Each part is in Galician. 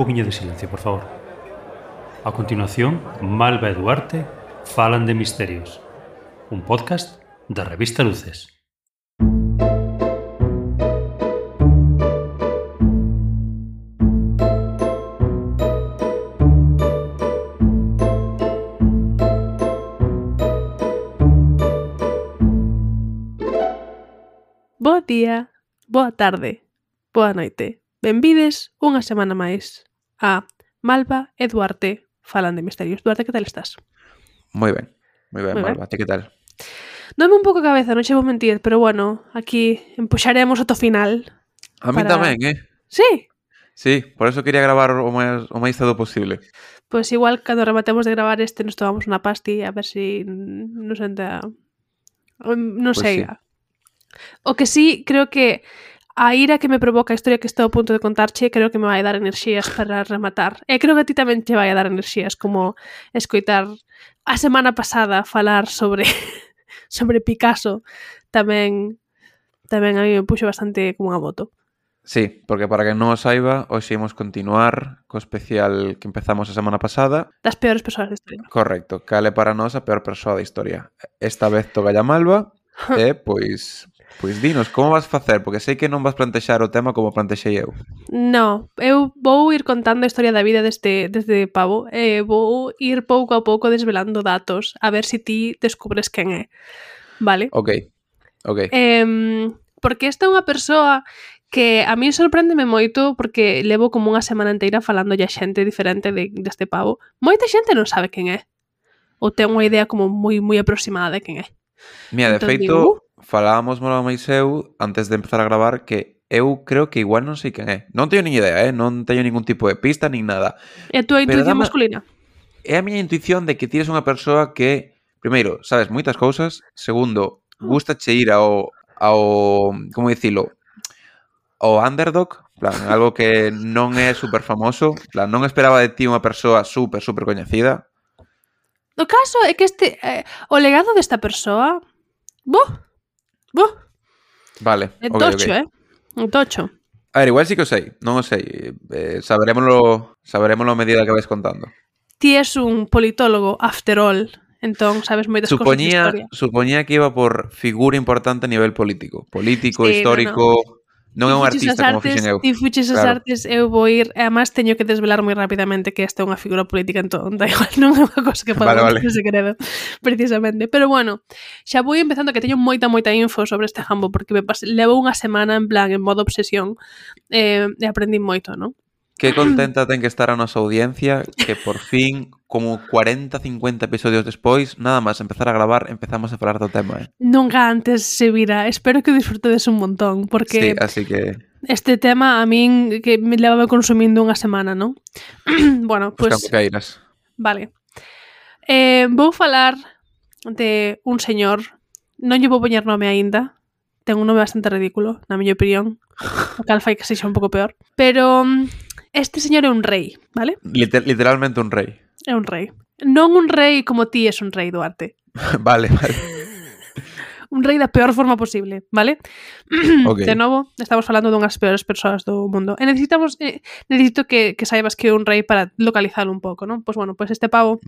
poquinho de silencio, por favor. A continuación, Malva e Duarte falan de misterios. Un podcast da revista Luces. Bo día, boa tarde, boa noite. Benvides unha semana máis a Malva e Duarte falan de misterios. Duarte, que tal estás? Moi ben, Moi Malva. Ti que tal? Dome un pouco a cabeza, non che vou mentir, pero bueno, aquí empuxaremos ata o final. A min tamén, Sí? Sí, por eso quería gravar o máis cedo posible. Pois igual, cando rematemos de gravar este, nos tomamos unha pasti, a ver si nos entra... Non Pois sei. sí. O que sí, creo que a ira que me provoca a historia que estou a punto de contarche, creo que me vai dar enerxías para rematar. E creo que a ti tamén te vai a dar enerxías, como escoitar a semana pasada falar sobre sobre Picasso. Tamén a mí me puxo bastante como unha moto. Sí, porque para que non o saiba, hoxe imos continuar co especial que empezamos a semana pasada. Das peores persoas da historia. Correcto, cal é para nós a peor persoa da historia. Esta vez toca a Malva e, pois dinos, como vas facer? Porque sei que non vas plantexar o tema como plantexei eu. No, eu vou ir contando a historia da vida deste pavo e vou ir pouco a pouco desvelando datos a ver se ti descubres quen é. Vale? Ok. Porque esta é unha persoa que a mí sorpréndeme moito porque levo como unha semana inteira falando a xente diferente deste pavo. Moita xente non sabe quen é. Ou ten unha idea como moi aproximada de quen é. Mira, de Entón feito, digo, falábamos Malva máis eu antes de empezar a gravar que eu creo que igual non sei quen é. Non teño nin idea, non teño ningún tipo de pista nin nada. É a túa Pero intuición masculina? É a miña intuición de que ti eres unha persoa que, primeiro, sabes moitas cousas, segundo, gustache ir ao como dicilo, ao underdog, plan, algo que non é super famoso, plan, non esperaba de ti unha persoa super coñecida. O caso é que o legado desta persoa, Vale, é ok. tocho, é tocho. A ver, igual sí que o sei, non o sei, saberémolo a medida que vais contando. Ti és un politólogo, after all, entón sabes moitas cousas de historia. Supoñía que iba por figura importante a nivel político, Sí, histórico, non é un artista como fixen eu. Ti fuches as artes, eu vou ir, e además teño que desvelar moi rapidamente que esta é unha figura política, entón da igual, non é unha cosa que pode Vale. en segredo, precisamente. Pero bueno, xa vou empezando que teño moita info sobre este jambo, porque levo unha semana en plan, en modo obsesión, e aprendí moito, non? Que contenta ten que estar a nosa audiencia que por fin, como 40-50 episodios despois, nada máis empezar a gravar, empezamos a falar do tema, Nunca antes se vira. Espero que disfrutedes un montón, porque sí, así que este tema a min que me levaba consumindo unha semana, non? Bueno, pues cairas. Vale. Vou falar de un señor, non lle vou poñer nome aínda, ten un nome bastante ridículo, na miña opinión, o cal fai que sexa un pouco peor, pero este señor é un rei, vale? Literalmente un rei. É un rei. Non un rei como ti és un rei, Duarte. Vale. Un rei da peor forma posible, vale? Okay. De novo, estamos falando dunhas peores persoas do mundo. E necesito que saibas que é un rei para localizarlo un pouco, non? Pois bueno, pois este pavo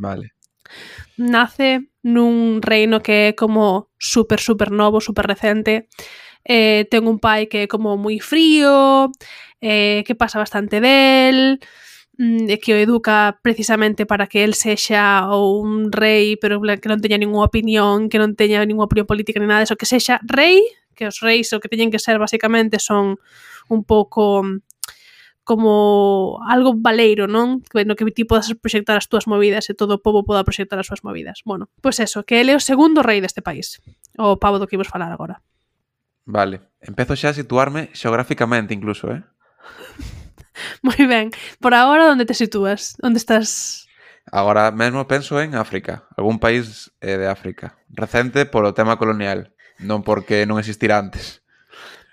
nace nun reino que é como super novo, super recente. Ten un pai que é como moi frío, que pasa bastante del, que o educa precisamente para que el sexa un rei, pero que non teña ninguna opinión, que non teña ninguna opinión política ni nada, eso, que sexa rei, que os reis o que teñen que ser basicamente son un pouco como algo valeiro, non? No que ti podas proxectar as túas movidas e todo o pobo poda proxectar as súas movidas. Bueno, pois eso, que ele é o segundo rei deste país, o pavo do que imos falar agora. Vale, empezo xa a situarme xeográficamente incluso, Moi ben. Por agora, onde te sitúas? Onde estás? Agora mesmo penso en África, algún país de África. Recente polo tema colonial, non porque non existira antes.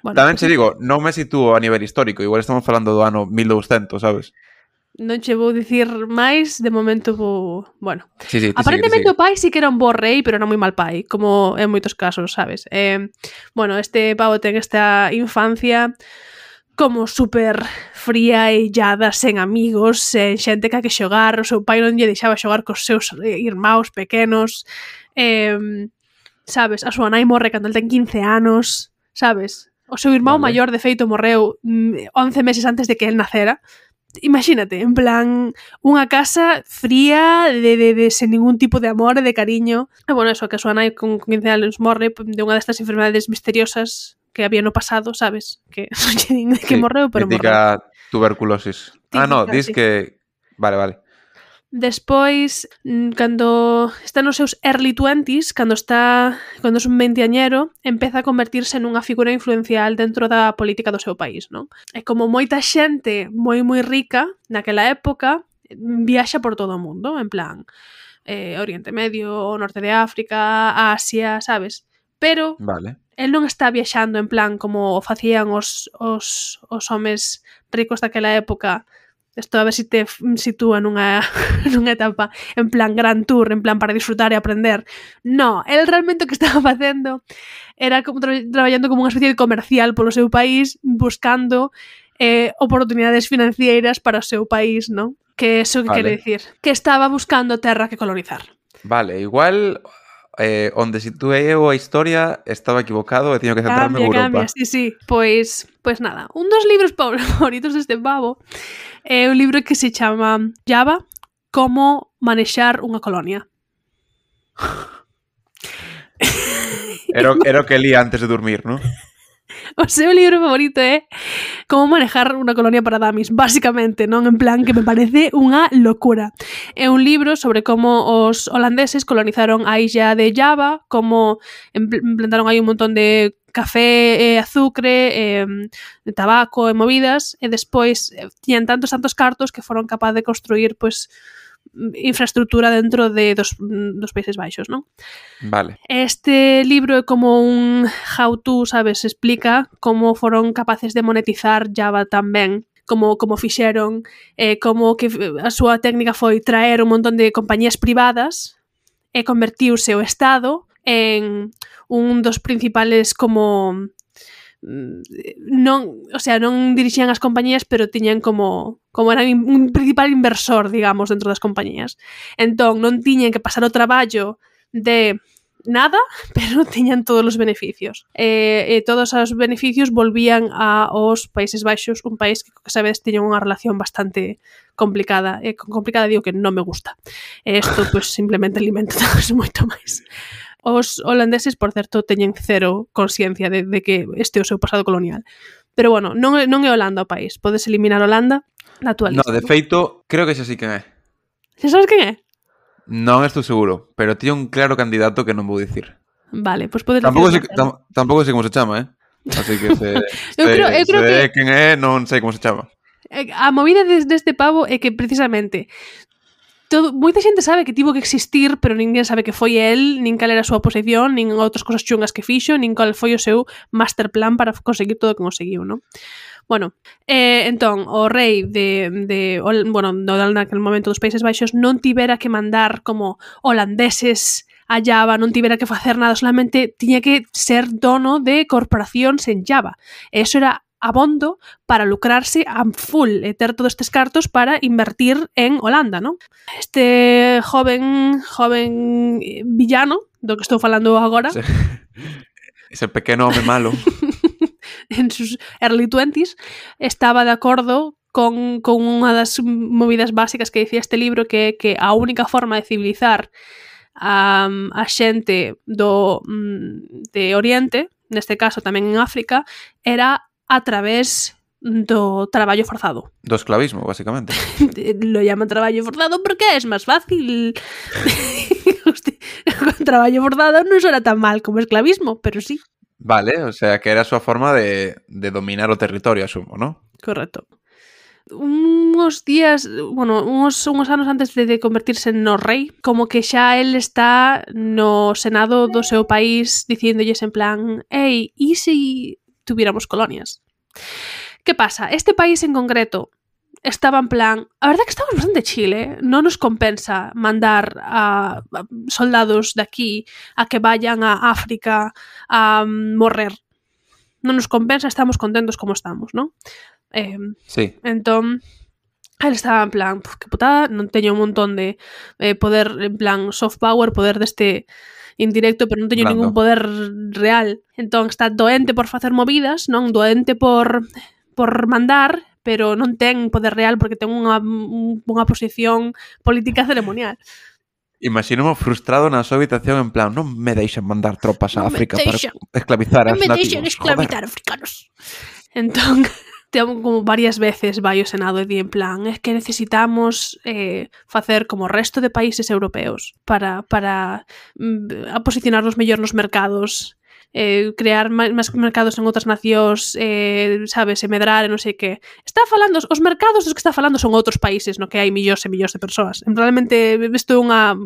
Bueno, tamén che digo, non me sitúo a nivel histórico, igual estamos falando do ano 1200, sabes? Non che vou dicir máis, de momento vou... Bueno, sí, aparentemente o pai sí que era un bo rei, pero era moi mal pai, como en moitos casos, sabes? Bueno, este pavo ten esta infancia como super fría e illada, sen amigos, sen xente que xogar, o seu pai non lle deixaba xogar cos seus irmãos pequenos, sabes, a súa nai morre cando el ten 15 anos, sabes, o seu irmão maior de feito morreu 11 meses antes de que el nacera. Imagínate, en plan, unha casa fría, de sen ningún tipo de amor e de cariño. E bueno, eso, que a súa nai con 15 anos morre de unha destas enfermedades misteriosas que había no pasado, sabes? Que non lle din de que morreu, pero morreu. Típica tuberculosis. No, dis que... Vale. Despois, cando está nos seus early 20s, cando é un veinteañero, empeza a convertirse nunha figura influencial dentro da política do seu país, non? E como moita xente moi rica naquela época, viaxa por todo o mundo, en plan, Oriente Medio, Norte de África, Asia, sabes? Pero el non está viaxando en plan como facían os homes ricos daquela época. Isto a ver se te sitúa nunha etapa en plan gran tour, en plan para disfrutar e aprender. No, el realmente o que estaba facendo era como traballando como unha especie de comercial polo seu país, buscando oportunidades financeiras para o seu país, non? Que eso que quere dicir? Que estaba buscando terra que colonizar. Vale, igual... onde situei eu a historia estaba equivocado e teño que centrarme en Europa. Sí. Pois nada, un dos libros favoritos deste pavo é un libro que se chama Java, como manexar unha colonia. Era o que lía antes de dormir, non? O seu libro favorito é Como manejar unha colonia para damis, básicamente, non? En plan, que me parece unha locura. É un libro sobre como os holandeses colonizaron a illa de Java, como implantaron aí un montón de café, azucre, tabaco e movidas, e despois tiñan tantos cartos que foron capaz de construir, pois, infraestructura dentro dos Países Baixos, non? Vale. Este libro é como un how-to, sabes? Explica como foron capaces de monetizar Java tamén, como fixeron, como que a súa técnica foi traer un montón de compañías privadas e convertiuse o Estado en un dos principales como... non dirixían as compañías, pero tiñan como eran un principal inversor, digamos, dentro das compañías. Entón, non tiñan que pasar o traballo de nada, pero tiñan todos os beneficios. E todos os beneficios volvían aos Países Baixos, un país que sabedes tiña unha relación bastante complicada. E con complicada digo que non me gusta. E isto, pois, simplemente alimenta moito máis. Os holandeses, por certo, teñen cero consciencia de que este é o seu pasado colonial. Pero bueno, non é Holanda o país. Podes eliminar Holanda na tua lista. No, de feito, creo que xa sí quen é. Xa sabes quen é? Non estou seguro, pero tiña un claro candidato que non vou dicir. Vale, pois podes dicir. Tampouco sei como se chama, Así que eu creo que quen é, non sei como se chama. A movida deste pavo é que precisamente moita xente sabe que tivo que existir, pero ninguén sabe que foi el, nin cal era a súa posición, nin outras cosas chungas que fixo, nin cal foi o seu master plan para conseguir todo o que conseguiu, non? Bueno, entón, o rei de naquele momento dos Países Baixos non tivera que mandar como holandeses a Java, non tivera que facer nada, solamente tiña que ser dono de corporacións en Java. E eso era abondo para lucrarse a full e ter todos estes cartos para invertir en Holanda, non? Este joven villano do que estou falando agora, ese pequeno home malo en sus early 20s, estaba de acordo con unha das movidas básicas que dicía este libro, que é que a única forma de civilizar a xente de Oriente, neste caso tamén en África, era a través do traballo forzado. Do esclavismo, basicamente. Lo llaman traballo forzado porque es máis fácil. Con traballo forzado non era tan mal como esclavismo, pero sí. Vale, o sea, que era a súa forma de dominar o territorio, asumo, ¿no? Correcto. Uns anos antes de convertirse no rei, como que xa el está no senado do seu país dicíndolles en plan, ei, e se tuviéramos colonias? Que pasa? Este país en concreto estaba en plan, a verdad que estamos bastante chile, non nos compensa mandar a soldados de aquí a que vayan a África a morrer. non nos compensa, estamos contentos como estamos, non? Sí. Entón, él estaba en plan, que putada, non teño un montón de poder, en plan, soft power, poder deste indirecto, pero non teño ningún poder real. Entón, está doente por facer movidas, non? Doente por mandar, pero non ten poder real porque ten unha posición política ceremonial. Imagínome frustrado na súa habitación en plan, non me deixan mandar tropas a África para esclavizar a nativos. Non me deixan esclavizar africanos. Entón, como varias veces vai o Senado e di en plan, es que necesitamos facer como o resto de países europeos para posicionarnos mellor nos mercados, crear máis mercados en outras nacións, sabes, e medrar e non sei que. Está falando, os mercados dos que está falando son outros países no que hai millóns e millóns de persoas. Realmente isto é unha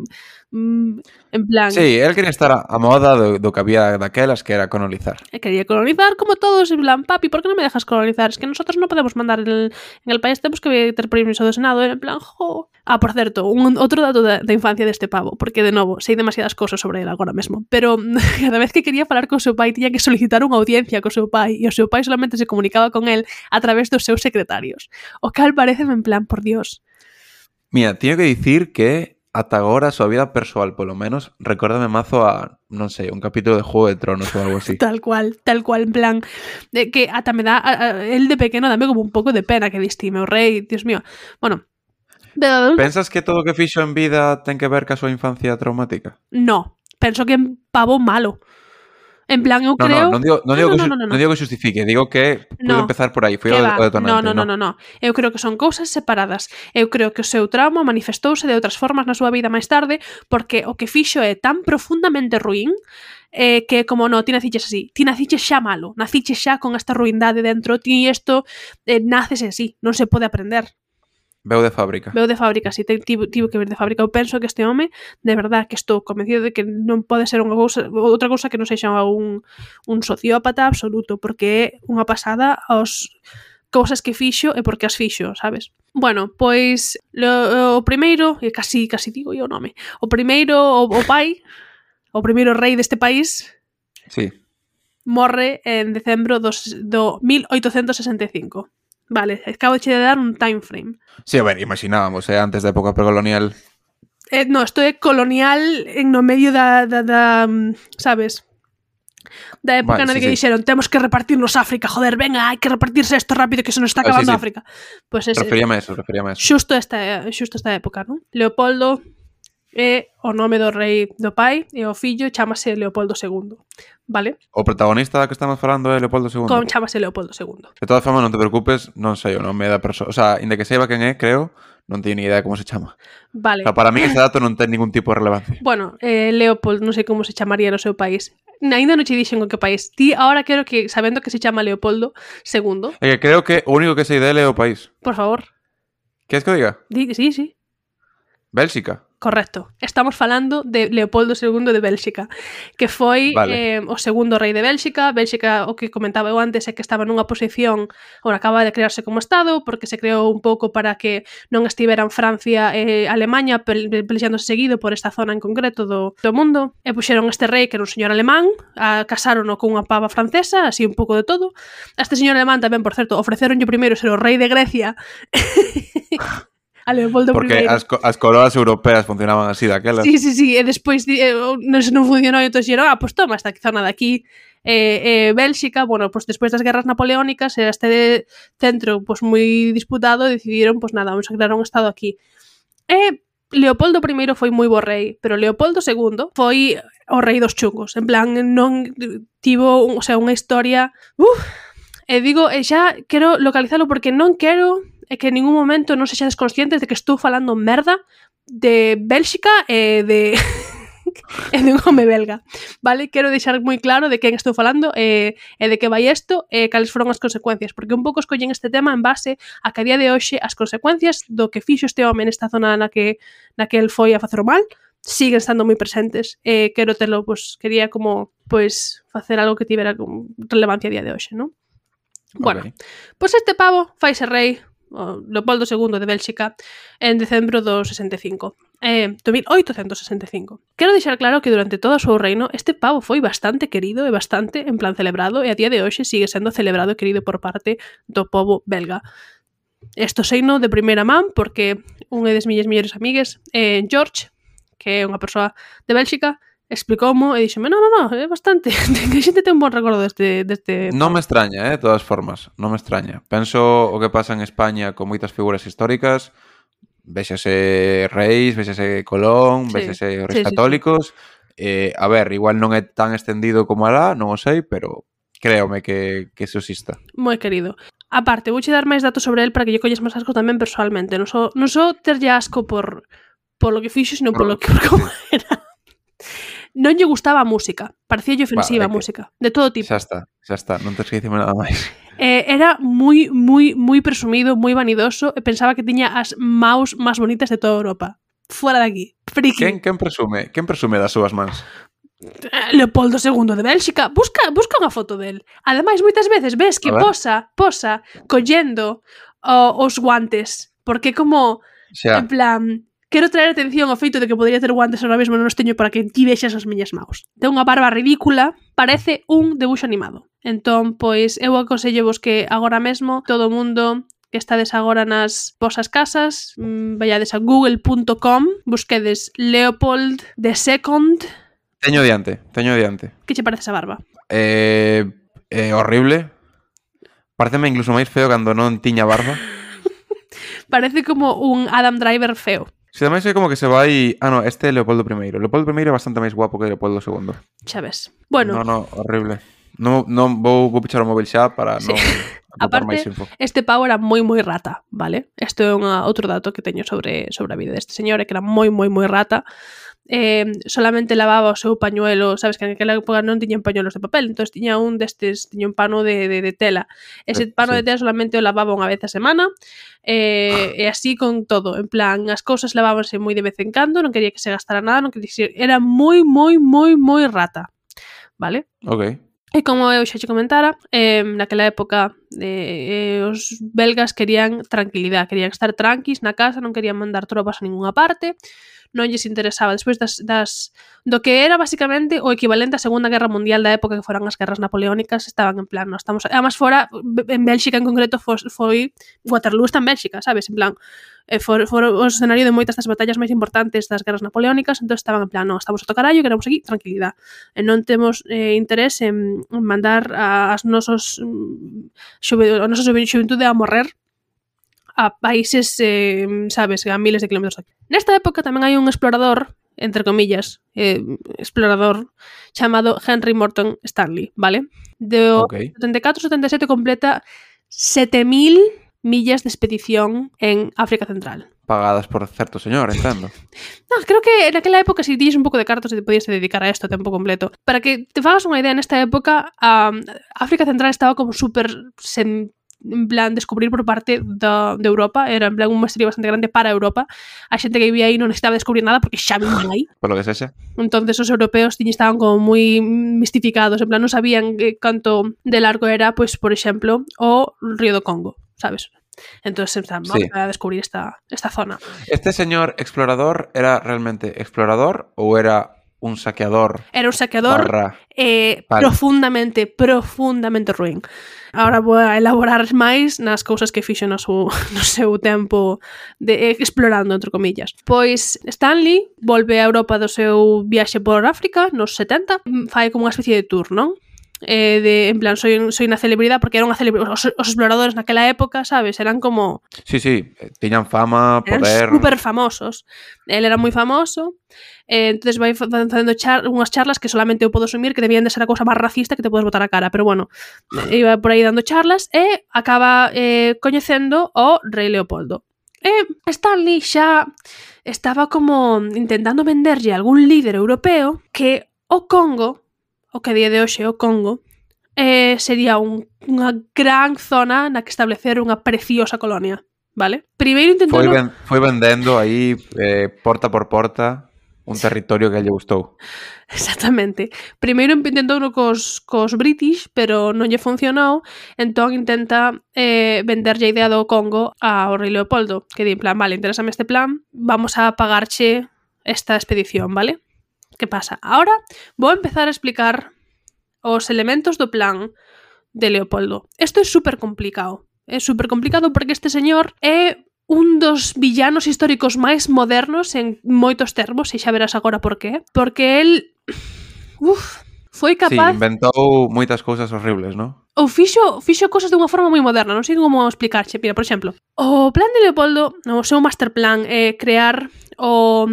en plan... Sí, él quería estar a moda do que había daquelas, que era colonizar. Quería colonizar como todos, en plan, papi, ¿por qué no me dejas colonizar? Es que nosotros no podemos mandar en el país, tenemos que ter permiso do Senado, en plan, jo... Ah, por certo, outro dato da infancia deste pavo, porque, de novo, sei demasiadas cousas sobre ele agora mesmo, pero cada vez que quería falar co seu pai tiña que solicitar unha audiencia co seu pai, e o seu pai solamente se comunicaba con el a través dos seus secretarios. O cal pareceme en plan, por Dios. Mira, teño que dicir que ata agora a súa vida persoal, polo menos, recórdame mazo a, non sei, un capítulo de Juego de Tronos ou algo así. Tal cual, en plan, que ata me dá, el de pequeno dame como un pouco de pena que distime o rei, Dios mío. Bueno, de adulto... Pensas que todo o que fixo en vida ten que ver ca súa infancia traumática? No, penso que é un pavo malo. En plan, eu creo... Non digo que justifique, digo que pude empezar por aí, foi o detonante. No. Eu creo que son cousas separadas. Eu creo que o seu trauma manifestouse de outras formas na súa vida máis tarde, porque o que fixo é tan profundamente ruín que como ti naciches así, ti naciches xa malo, naciches xa con esta ruindade dentro, ti isto naces así, non se pode aprender. Veu de fábrica, sí, tivo que vir de fábrica. Eu penso que este home, de verdad, que estou convencido de que non pode ser outra cousa que non sexa un sociópata absoluto, porque é unha pasada as cousas que fixo e porque as fixo, sabes? Bueno, pois o primeiro, e casi digo eu o nome, o primeiro, o pai, o primeiro rei deste país, sí, morre en decembro do 1865. Vale, acabo de dar un time frame. Sí, a ver, imaginábamos, antes da época precolonial. No, isto é colonial no medio da sabes? Da época na que dixeron, temos que repartirnos África, joder, venga, hai que repartirse isto rápido que se nos está acabando África. Pues referíame a eso. Xusto esta época, non? Leopoldo é o nome do rei do pai e o fillo chámase Leopoldo II. Vale? O protagonista da que estamos falando é Leopoldo II. Chámase Leopoldo II. De todas formas, non te preocupes, non sei o nome da persoa. O sea, inda que saiba quen é, creo, non teño ni idea de como se chama. Vale. O sea, para mí ese dato non ten ningún tipo de relevancia. Bueno, Leopold, non sei como se chamaría no seu país. Ainda non che dixen con que país. Ti ahora quero que, sabendo que se chama Leopoldo II... É que creo que o único que sei dele é o país. Por favor. Queres que o diga? Sí. Bélxica. Correcto. Estamos falando de Leopoldo II de Bélxica, que foi o segundo rei de Bélxica. Bélxica, o que comentaba eu antes, é que estaba nunha posición, ora acaba de crearse como Estado, porque se creou un pouco para que non estiveran Francia e Alemanha pelexándose seguido por esta zona en concreto do mundo, e puxeron este rei, que era un señor alemán, casárono con unha pava francesa, así un pouco de todo. A este señor alemán tamén, por certo, ofreceronlle primeiro ser o rei de Grecia. A Leopoldo porque as coroas europeas funcionaban así daquelas. Sí, e despois non funcionou e entón dixeron, pues toma esta zona de aquí, Bélxica, bueno, pues despois das guerras napoleónicas era este centro pues moi disputado e decidiron, pues nada, vamos a crear un estado aquí. Leopoldo I foi moi bo rei, pero Leopoldo II foi o rei dos chungos, en plan, non tivo, o sea, unha historia... digo, xa quero localizalo porque non quero que en ningún momento non sexades conscientes de que estou falando merda de Bélxica e de un home belga, vale? Quero deixar moi claro de quen estou falando e de que vai isto e cales foron as consecuencias, porque un pouco escollen este tema en base a que a día de hoxe as consecuencias do que fixo este home nesta zona na que el foi a facer o mal siguen estando moi presentes e quero telo, pues, quería como, pues, facer algo que tivera relevancia a día de hoxe, non? Bueno, pues este pavo faise rei, Leopoldo II de Bélxica, en decembro do 65. do 1865. Quero deixar claro que durante todo o seu reino este pavo foi bastante querido e bastante, en plan, celebrado, e a día de hoxe sigue sendo celebrado e querido por parte do povo belga. Isto seino de primeira man porque unha das miñas mellores amigues, George, que é unha persoa de Bélxica, explicoumo e dixeme, no, é bastante, que a xente ten un bon recordo deste non me extraña, de todas formas, non me extraña. Penso o que pasa en España con moitas figuras históricas, véxase Reis, véxase Colón, véxase os Reis Católicos. A ver, igual non é tan extendido como alá, non o sei, pero créome que eso exista. Moi querido. Aparte, vouche dar máis datos sobre el para que lle colles máis asco tamén personalmente. Non só terlle asco por lo que fixo, sino por como era. Non lle gustaba a música. Parecíalle ofensiva a música. De todo tipo. Xa está. Non tens que dicirme nada máis. Era moi presumido, moi vanidoso e pensaba que tiña as maus máis bonitas de toda Europa. Fuera de aquí. Friki. Quen presume das súas mans? Leopoldo II de Bélxica. Busca unha foto del. Ademais, moitas veces ves que posa collendo os guantes. Porque como, en plan... Quero traer atención ao feito de que podría ter guantes ahora mesmo non os teño para que ti vexas as miñas maus. Ten unha barba ridícula, parece un debuxo animado. Entón, pois, eu aconsellevos que agora mesmo todo o mundo que estades agora nas vosas casas, vallades a google.com, busquedes Leopold II. Teño diante. Que che parece esa barba? Horrible. Pareceme incluso máis feo cando non tiña barba. Parece como un Adam Driver feo. Se ademais é como que se vai... este é Leopoldo I. Leopoldo I é bastante máis guapo que Leopoldo II. Xa ves. Bueno. No, horrible. Non vou pichar o móvil xa para non aportar máis info. Este pavo era moi rata, vale? Isto é outro dato que teño sobre a vida deste señor, é que era moi rata. Solamente lavaba o seu pañuelo, sabes que en aquela época non tiñan pañuelos de papel, entón tiña un pano de tela. Ese pano de tela solamente o lavaba unha vez a semana, e así con todo, en plan, as cousas lavábanse moi de vez en cando, non quería que se gastara nada, era moi rata, vale? Ok. E como eu xa che comentara, naquela época os belgas querían tranquilidade, querían estar tranquis na casa, non querían mandar tropas a ninguna parte, non lles interesaba despois do que era basicamente o equivalente á Segunda Guerra Mundial da época que foran as guerras napoleónicas, estaban en plan, además fora en Bélxica en concreto foi Waterloo está en Bélxica, sabes, en plan foi o escenario de moitas das batallas máis importantes das guerras napoleónicas, entón estaban en plan, non, estamos a tocarallo, queremos aquí tranquilidade, e non temos interés en mandar a nosa xuventude a morrer a países, sabes, a miles de kilómetros aquí. Nesta época tamén hai un explorador, entre comillas, explorador, chamado Henry Morton Stanley, vale? De 74-77 completa 7.000 millas de expedición en África Central. Pagadas por certo señor, entendo. No, creo que en aquela época si tiñes un pouco de cartos e te podías dedicar a isto a tempo completo. Para que te fagas unha idea, nesta época África Central estaba como super en plan descubrir por parte de Europa, era en plan un misterio bastante grande para Europa. A xente que vivía aí non necesitaba descubrir nada porque xa vivían aí. Por lo que sexa. Entonces os europeos estaban como moi mistificados, en plan non sabían canto de largo era, pois por exemplo, o río do Congo, sabes? Entonces vamos a descubrir esta zona. Este señor explorador era realmente explorador ou era un saqueador? Era un saqueador profundamente ruín. Ahora vou a elaborar máis nas cousas que fixo no seu tempo de explorando, entre comillas. Pois Stanley volve a Europa do seu viaxe por África nos 70, fai como unha especie de tour, non? En plan, soy unha celebridade, porque era unha celebridade, os exploradores naquela época, sabes, eran como... Sí, tiñan fama, poder... Eran super famosos. El era moi famoso, entonces vai facendo unhas charlas que solamente eu podo asumir que debían de ser a cousa máis racista que te podes botar a cara, pero bueno, iba por aí dando charlas e acaba coñecendo o rei Leopoldo. Stanley xa estaba como intentando venderlle a algún líder europeo que o Congo, o que a día de hoxe o Congo, sería unha gran zona na que establecer unha preciosa colonia, vale? Primeiro intentando... Foi vendendo aí porta por porta un territorio que lle gustou. Exactamente. Primeiro intentou cos British, pero non lle funcionou, entón intenta venderlle a idea do Congo ao rei Leopoldo, que di en plan, vale, interésame este plan, vamos a pagarche esta expedición, vale? Que pasa? Ahora vou empezar a explicar os elementos do plan de Leopoldo. Isto é super complicado. É super complicado porque este señor é un dos villanos históricos máis modernos en moitos termos, e xa verás agora por qué. Porque el foi capaz... Sí, inventou moitas cousas horribles, non? Ou fixo cosas de unha forma moi moderna, non sei como explicarche. Mira, por exemplo, o plan de Leopoldo, o seu master plan é crear o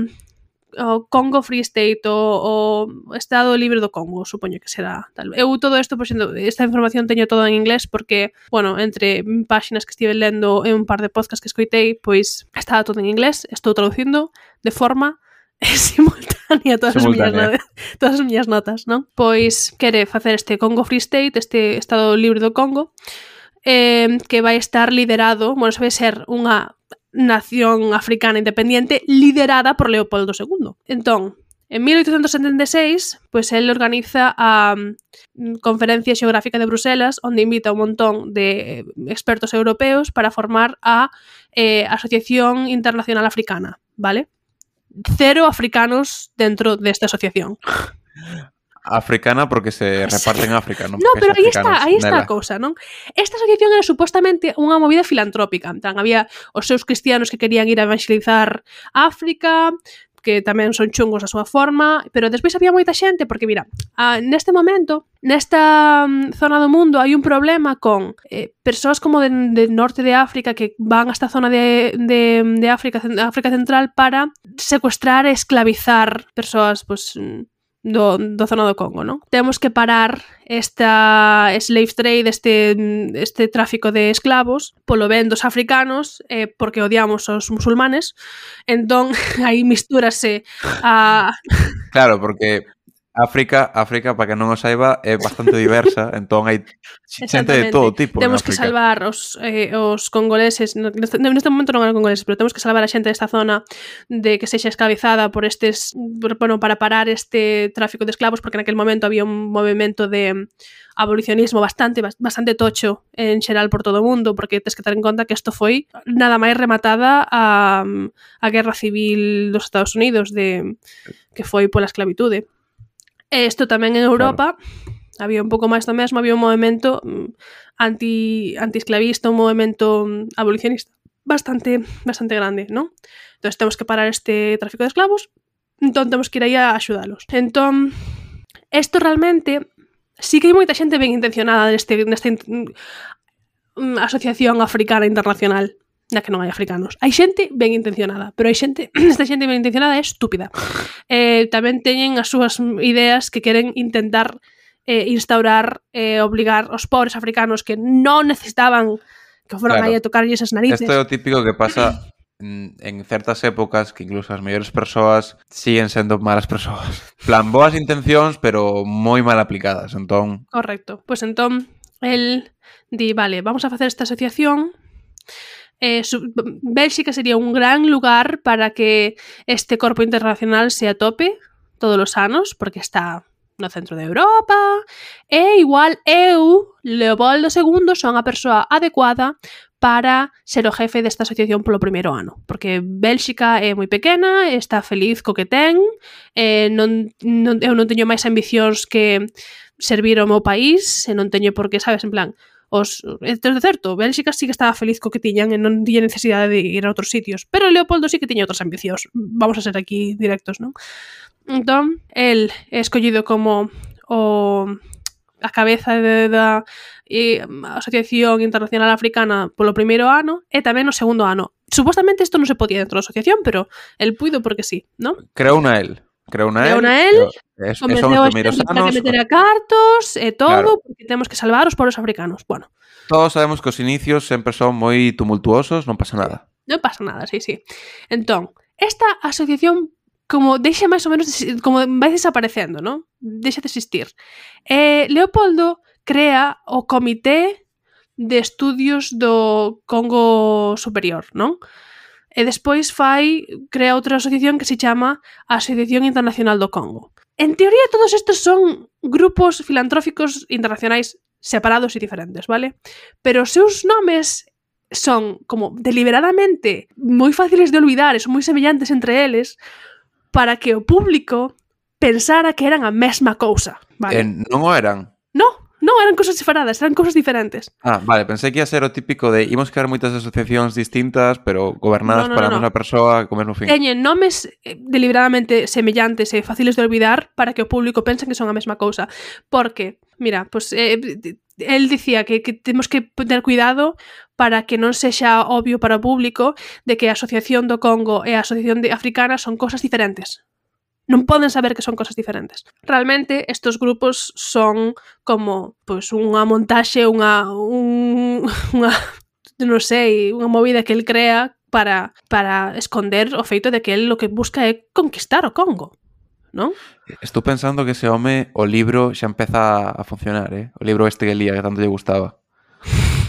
Congo Free State, o Estado Libre do Congo, supoño que será tal. Eu todo isto, por exemplo, esta información teño todo en inglés porque, bueno, entre páxinas que estive lendo e un par de podcasts que escoitei, pois estaba todo en inglés, estou traducindo de forma simultánea todas as miñas notas, non? Pois quere facer este Congo Free State, este Estado Libre do Congo, que vai estar liderado, bueno, vai ser unha nación africana independiente liderada por Leopoldo II. Entón, en 1876, pois el organiza a Conferencia Xeográfica de Bruselas, onde invita un montón de expertos europeos para formar a Asociación Internacional Africana, vale? 0 africanos dentro desta asociación. Africana porque se reparte en África, non? No, pero aí está a cousa, non? Esta asociación era supostamente unha movida filantrópica. Entón, había os seus cristianos que querían ir a evangelizar África, que tamén son chungos a súa forma, pero despois había moita xente, porque mira, neste momento, nesta zona do mundo hai un problema con persoas como de norte de África que van a esta zona de África Central para secuestrar e esclavizar persoas, pues, do zona do Congo, non? Temos que parar esta slave trade, este tráfico de esclavos polo ben dos africanos, porque odiamos os musulmanes. Entón, aí mistúrase a... Claro, porque África, para que non o saiba, é bastante diversa, entón hai xente de todo tipo. Temos que salvar os congoleses, neste momento non eran congoleses, pero temos que salvar a xente desta zona de que sexa esclavizada por para parar este tráfico de esclavos, porque naquel momento había un movimento de abolicionismo bastante tocho en xeral por todo o mundo, porque tens que ter en conta que isto foi nada máis rematada a Guerra Civil dos Estados Unidos, que foi pola esclavitude. Isto tamén en Europa, claro. Había un pouco máis do mesmo, había un movimento anti-esclavista, un movimento abolicionista bastante grande, non? Entón temos que parar este tráfico de esclavos, entón temos que ir aí a axudalos. Entón, isto realmente sí que hai moita xente ben intencionada nesta asociación africana internacional, na que non hai africanos. Hai xente ben intencionada, pero hai xente, esta xente ben intencionada é estúpida. Tamén teñen as súas ideas que queren intentar instaurar, obligar os pobres africanos que non necesitaban que foran aí a tocarlle esas narices. Isto é o típico que pasa en certas épocas, que incluso as mellores persoas siguen sendo malas persoas. Plan, boas intencións, pero moi mal aplicadas, entón... Correcto. Pois entón, el di, vale, vamos a facer esta asociación. Bélxica sería un gran lugar para que este corpo internacional se atope todos os anos, porque está no centro de Europa, e igual Leopoldo II, son a persoa adecuada para ser o jefe desta asociación polo primeiro ano, porque Bélxica é moi pequena, está feliz co que ten, eu non teño máis ambicións que servir ao meu país, e non teño por que, sabes, en plan... de certo, Bélxica sí que estaba feliz co que tiñan e non tiña necesidade de ir a outros sitios, pero Leopoldo sí que tiña outras ambicións. Vamos a ser aquí directos, non? Entón, el é escollido como a cabeza da Asociación Internacional Africana polo primeiro ano e tamén no segundo ano. Supostamente isto non se podía dentro da asociación, pero el puido porque sí, non? Creou na el, convenceu a xente para que meter a cartos e todo, claro, porque temos que salvar os pobres africanos. Bueno, todos sabemos que os inicios sempre son moi tumultuosos, non pasa nada. Non pasa nada, sí. Entón, esta asociación como deixa máis ou menos, como vai desaparecendo, non? Deixa de existir. Leopoldo crea o Comité de Estudios do Congo Superior, non? E despois crea outra asociación que se chama Asociación Internacional do Congo. En teoría, todos estes son grupos filantróficos internacionais separados e diferentes, vale? Pero os seus nomes son como deliberadamente moi fáciles de olvidar e son moi semellantes entre eles para que o público pensara que eran a mesma cousa, vale? Non o eran? Non, eran cousas separadas, eran cousas diferentes. Vale, pensei que ia ser o típico de imos crear moitas asociacións distintas, pero gobernadas para a mesma persoa co mesmo fin. Teñen nomes deliberadamente semellantes e fáciles de olvidar para que o público pense que son a mesma cousa. Porque, mira, pues, el dicía que temos que ter cuidado para que non sexa obvio para o público de que a Asociación do Congo e a Asociación Africana son cosas diferentes. Non poden saber que son cosas diferentes. Realmente, estos grupos son como pues, unha montaxe, unha non sei, unha movida que el crea para esconder o feito de que el lo que busca é conquistar o Congo, non? Estou pensando que ese home, o libro xa empeza a funcionar, O libro este que lía, que tanto lle gustaba.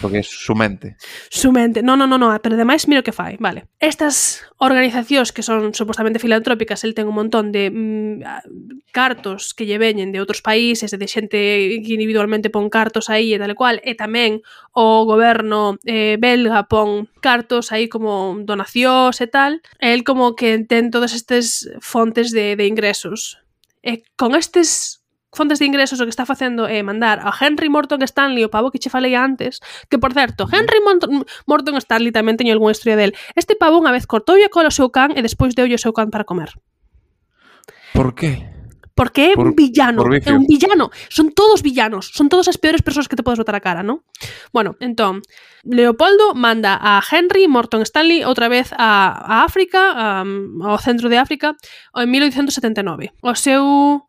Porque é su mente. Su mente. No, pero ademais mira o que fai, vale. Estas organizacións que son supostamente filantrópicas, el ten un montón de cartos que lle veñen de outros países, de xente que individualmente pon cartos aí e tal e cual, e tamén o goberno belga pon cartos aí como donacións e tal, e el como que ten todas estas fontes de ingresos. E con estes fontes de ingresos o que está facendo é mandar a Henry Morton Stanley, o pavo que che falei antes, que por certo, Henry Morton Stanley tamén teño algunha historia del. Este pavo unha vez cortoulle a cola ao seu can e despois deulle o seu can para comer. Por qué? Porque é un villano, é un villano. Son todos villanos, son todas as peores persoas que te podes botar a cara, non? Bueno, entón, Leopoldo manda a Henry Morton Stanley outra vez a África, ao centro de África, en 1879. O seu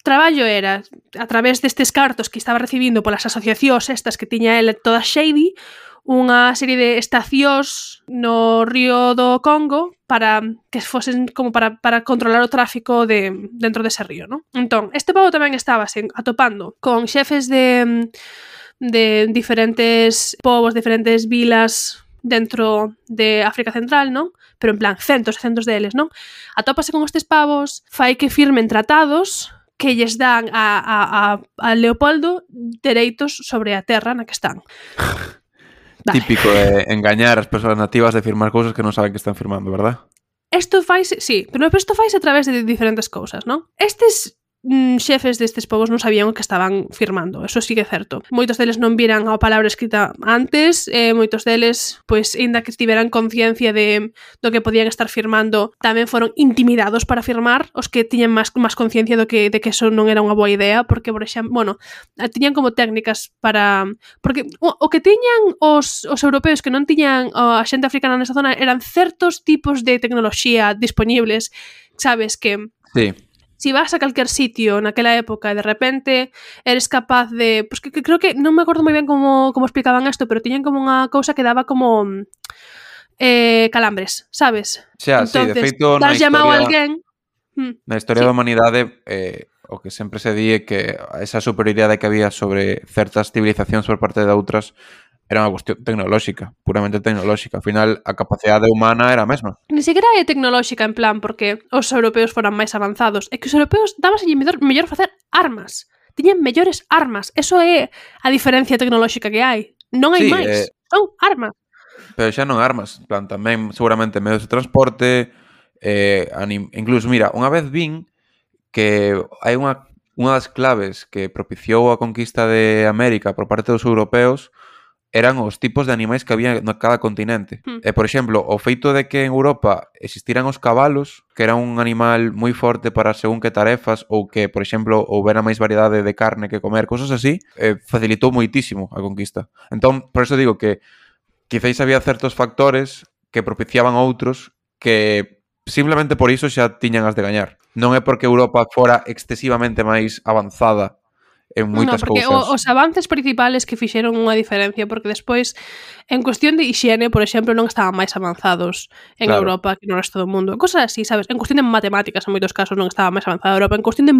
traballo era, a través destes cartos que estaba recibindo polas asociacións estas que tiña ele todas shady, unha serie de estacións no río do Congo para que fosen como para controlar o tráfico dentro dese río, non? Entón, este pavo tamén estaba atopando con xefes de diferentes povos, diferentes vilas dentro de África Central, non? Pero en plan, centos e centos deles, non? Atópase con estes pavos, fai que firmen tratados que lles dan a Leopoldo dereitos sobre a terra na que están. Vale. Típico de engañar as persoas nativas de firmar cousas que non saben que están firmando, verdad? Isto faise, sí, pero isto faise a través de diferentes cousas, non? Estes xefes destes povos non sabían o que estaban firmando, eso sí que é certo. Moitos deles non viran a palabra escrita antes, moitos deles, pois, ainda que tiveran conciencia do que podían estar firmando, tamén foron intimidados para firmar, os que tiñan máis conciencia de que eso non era unha boa idea, porque, por exemplo, bueno, tiñan como técnicas para... Porque o que tiñan os europeos que non tiñan a xente africana nesa zona eran certos tipos de tecnoloxía disponibles, sabes, que... Sí. Si vas a calquer sitio naquela época e de repente eres capaz de... Pues que creo que non me acordo moi ben como explicaban isto, pero tiñan como unha cousa que daba como calambres, sabes? Xa, entonces, sí, de feito na historia... Na historia da humanidade o que sempre se di é que esa superioridade que había sobre certas civilizacións por parte de outras era unha cuestión tecnolóxica, puramente tecnolóxica. Ao final, a capacidade humana era a mesma. Ni sequera é tecnolóxica en plan porque os europeos foran máis avanzados. É que os europeos dábaselle mellor facer armas. Tiñan mellores armas. Eso é a diferencia tecnolóxica que hai. Non hai máis. Son armas. Pero xa non armas. En plan, tamén seguramente medios de transporte, incluso, mira, unha vez vin que hai unha das claves que propiciou a conquista de América por parte dos europeos eran os tipos de animais que había en cada continente. Por exemplo, o feito de que en Europa existiran os cabalos, que era un animal moi forte para según que tarefas, ou que, por exemplo, houbera máis variedade de carne que comer, cosas así, facilitou moitísimo a conquista. Entón, por eso digo que quizáis había certos factores que propiciaban outros que simplemente por iso xa tiñan as de gañar. Non é porque Europa fora excesivamente máis avanzada en moitas cousas. Porque os avances principales que fixeron unha diferencia, porque despois, en cuestión de hixiene, por exemplo, non estaban máis avanzados en Europa que no resto do mundo. Cosas así, sabes? En cuestión de matemáticas, en moitos casos, non estaba máis avanzada Europa. En cuestión de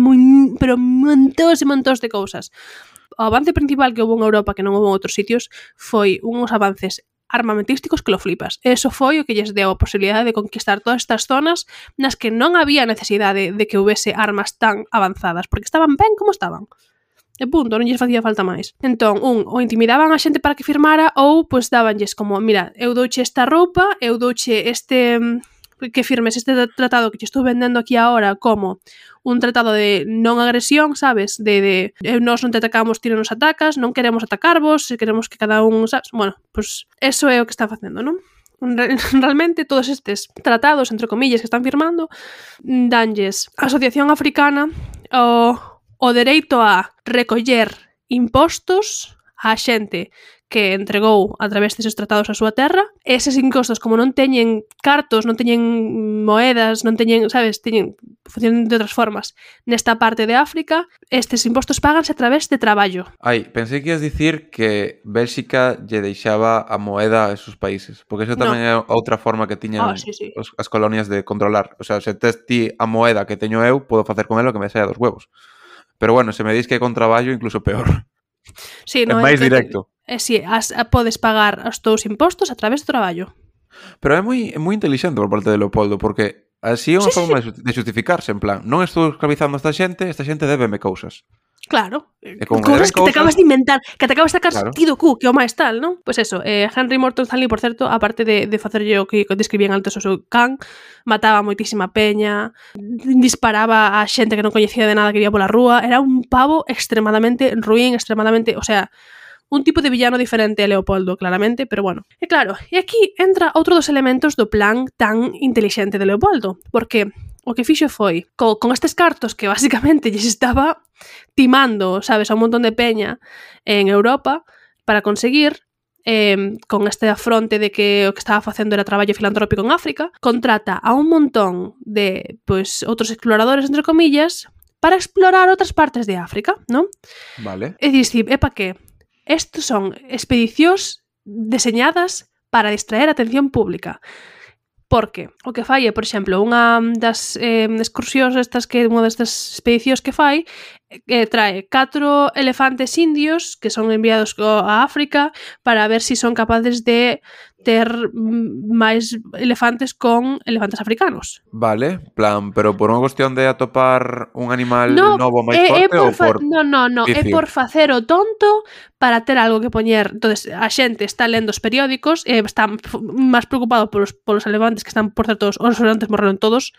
pero montós e montós de cousas. O avance principal que houve en Europa, que non houve en outros sitios, foi uns avances armamentísticos que lo flipas. Eso foi o que lles deu a posibilidade de conquistar todas estas zonas nas que non había necesidade de que houvese armas tan avanzadas, porque estaban ben como estaban. E punto, non lles facía falta máis. Entón, ou intimidaban a xente para que firmara, ou, pois, dabanlles como, mira, eu douche esta roupa, eu douche este que firmes este tratado que te estou vendendo aquí ahora como un tratado de non agresión, sabes? De nós non te atacamos, ti non nos atacas, non queremos atacarvos, queremos que cada un, sabes? Bueno, pues eso é o que está facendo, non? Realmente todos estes tratados, entre comillas, que están firmando, danlles a Asociación Africana o dereito a recoller impostos á xente que entregou a través deses tratados a súa terra. Eses impostos, como non teñen cartos, non teñen moedas, non teñen, sabes, funcionan de outras formas. Nesta parte de África, estes impostos páganse a través de traballo. Pensei que ias dicir que Bélxica lle deixaba a moeda a esos países, porque eso tamén é outra forma que tiñan as colonias de controlar. O sea, se tes ti a moeda que teño eu, podo facer con ela o que me saia dos huevos. Pero bueno, se me dis que é con traballo, incluso peor. Sí, é máis directo. Sí, podes pagar os teus impostos a través do traballo. Pero é moi inteligente por parte de Leopoldo, porque así é unha forma de justificarse, en plan, non estou esclavizando a esta xente débeme cousas. Claro, cousas que te acabas de inventar, que te acabas de sacar ti do cu, que o máis tal, non? Pois eso, Henry Morton Stanley, por certo, aparte de facerlle o que describían antes o seu can, mataba moitísima peña, disparaba a xente que non coñecía de nada que iba pola rúa, era un pavo extremadamente ruín, o sea, un tipo de villano diferente a Leopoldo, claramente, pero bueno. E claro, e aquí entra outro dos elementos do plan tan intelixente de Leopoldo, porque o que fixo foi, con estes cartos que basicamente lles estaba timando, sabes, a un montón de peña en Europa para conseguir, con este afronte de que o que estaba facendo era traballo filantrópico en África, contrata a un montón de, pois, outros exploradores, entre comillas, para explorar outras partes de África, non? Vale. E dicir, epa que? Estos son expedicións deseñadas para distraer a atención pública. Porque o que fai é, por exemplo, unha das excursións unha destas expedicións que fai trae 4 elefantes indios que son enviados a África para ver si son capaces de ter máis elefantes con elefantes africanos. Vale, plan, pero por unha cuestión de atopar un animal novo máis forte ou por... No, é por facer o tonto para ter algo que poñer. Entonces, a xente está lendo os periódicos, está máis preocupado polos elefantes que están, por certo, os elefantes morreron todos.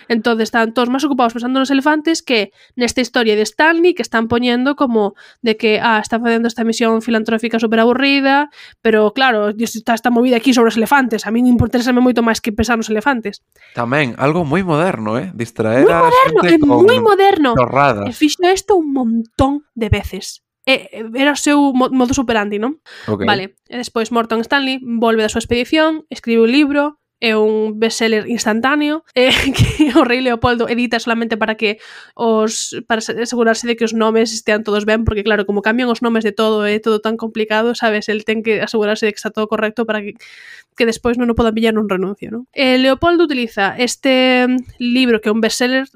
Entonces están todos máis ocupados pensando nos elefantes que nesta historia de Stanley que están poñendo como de que está facendo esta misión filantrófica super aburrida, pero claro, está esta movida aquí sobre os elefantes, a min interésame moito máis que pensar nos elefantes. Tamén, algo moi moderno, distraer a xente con moi moderno. Chorradas. E fixo isto un montón de veces. Era o seu modus operandi, non? Okay. Vale, e despois Morton Stanley volve da súa expedición, escribe un libro, é un bestseller instantáneo que o rei Leopoldo edita solamente para asegurarse de que os nomes estean todos ben, porque claro, como cambian os nomes de todo, é todo tan complicado, sabes, el ten que asegurarse de que está todo correcto para que despois non o podan pillar nun renuncio, non? Leopoldo utiliza este libro que é un bestseller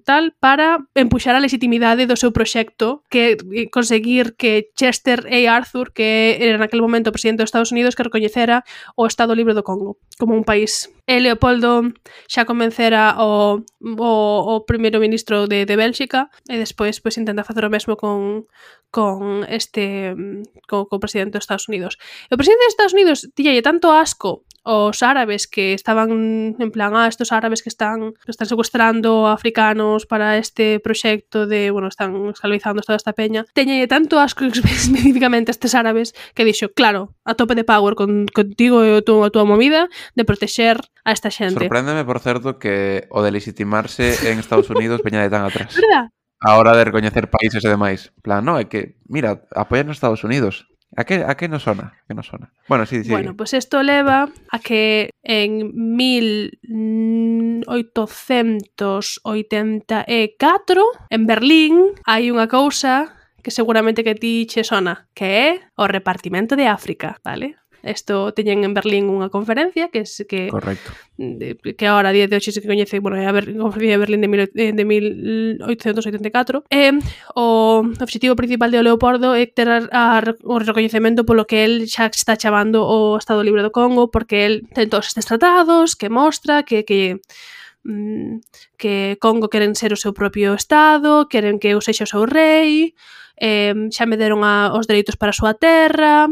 tal para empuxar a legitimidade do seu proxecto, que conseguir que Chester A. Arthur, que era naquele momento o presidente dos Estados Unidos, que recoñecera o Estado Libre do Congo como un país. Leopoldo xa convencera o primeiro ministro de Bélxica e despois pois intenta facer o mesmo con o presidente dos Estados Unidos. E o presidente dos Estados Unidos tiñalle tanto asco os árabes que estaban en plan, estos árabes que están secuestrando africanos para este proxecto de, están esclavizando toda esta peña, teñalle tanto asco especificamente a estes árabes que dixo, claro, a tope de power contigo e a túa movida de protexer a esta xente. Sorpréndeme, por certo, que o de legitimarse en Estados Unidos veña de tan atrás. ¿Verdad? A hora de recoñecer países e demais. Plan, é que, mira, apoian a Estados Unidos. A que nos sona? Bueno, sí. Bueno, pues isto leva a que en 1884 en Berlín hai unha cousa que seguramente que ti che sona, que é o repartimento de África, vale? Isto teñen en Berlín unha conferencia que correcto. Que ahora a día de hoxe se coñece, a conferencia de Berlín de 1884. O obxectivo principal de Leopoldo é ter o recoñecemento polo que el xa está chamando o Estado Libre do Congo, porque el ten todos estes tratados que mostra que Congo queren ser o seu propio Estado, queren que eu sexa o seu rei, xa me deron os dereitos para a súa terra.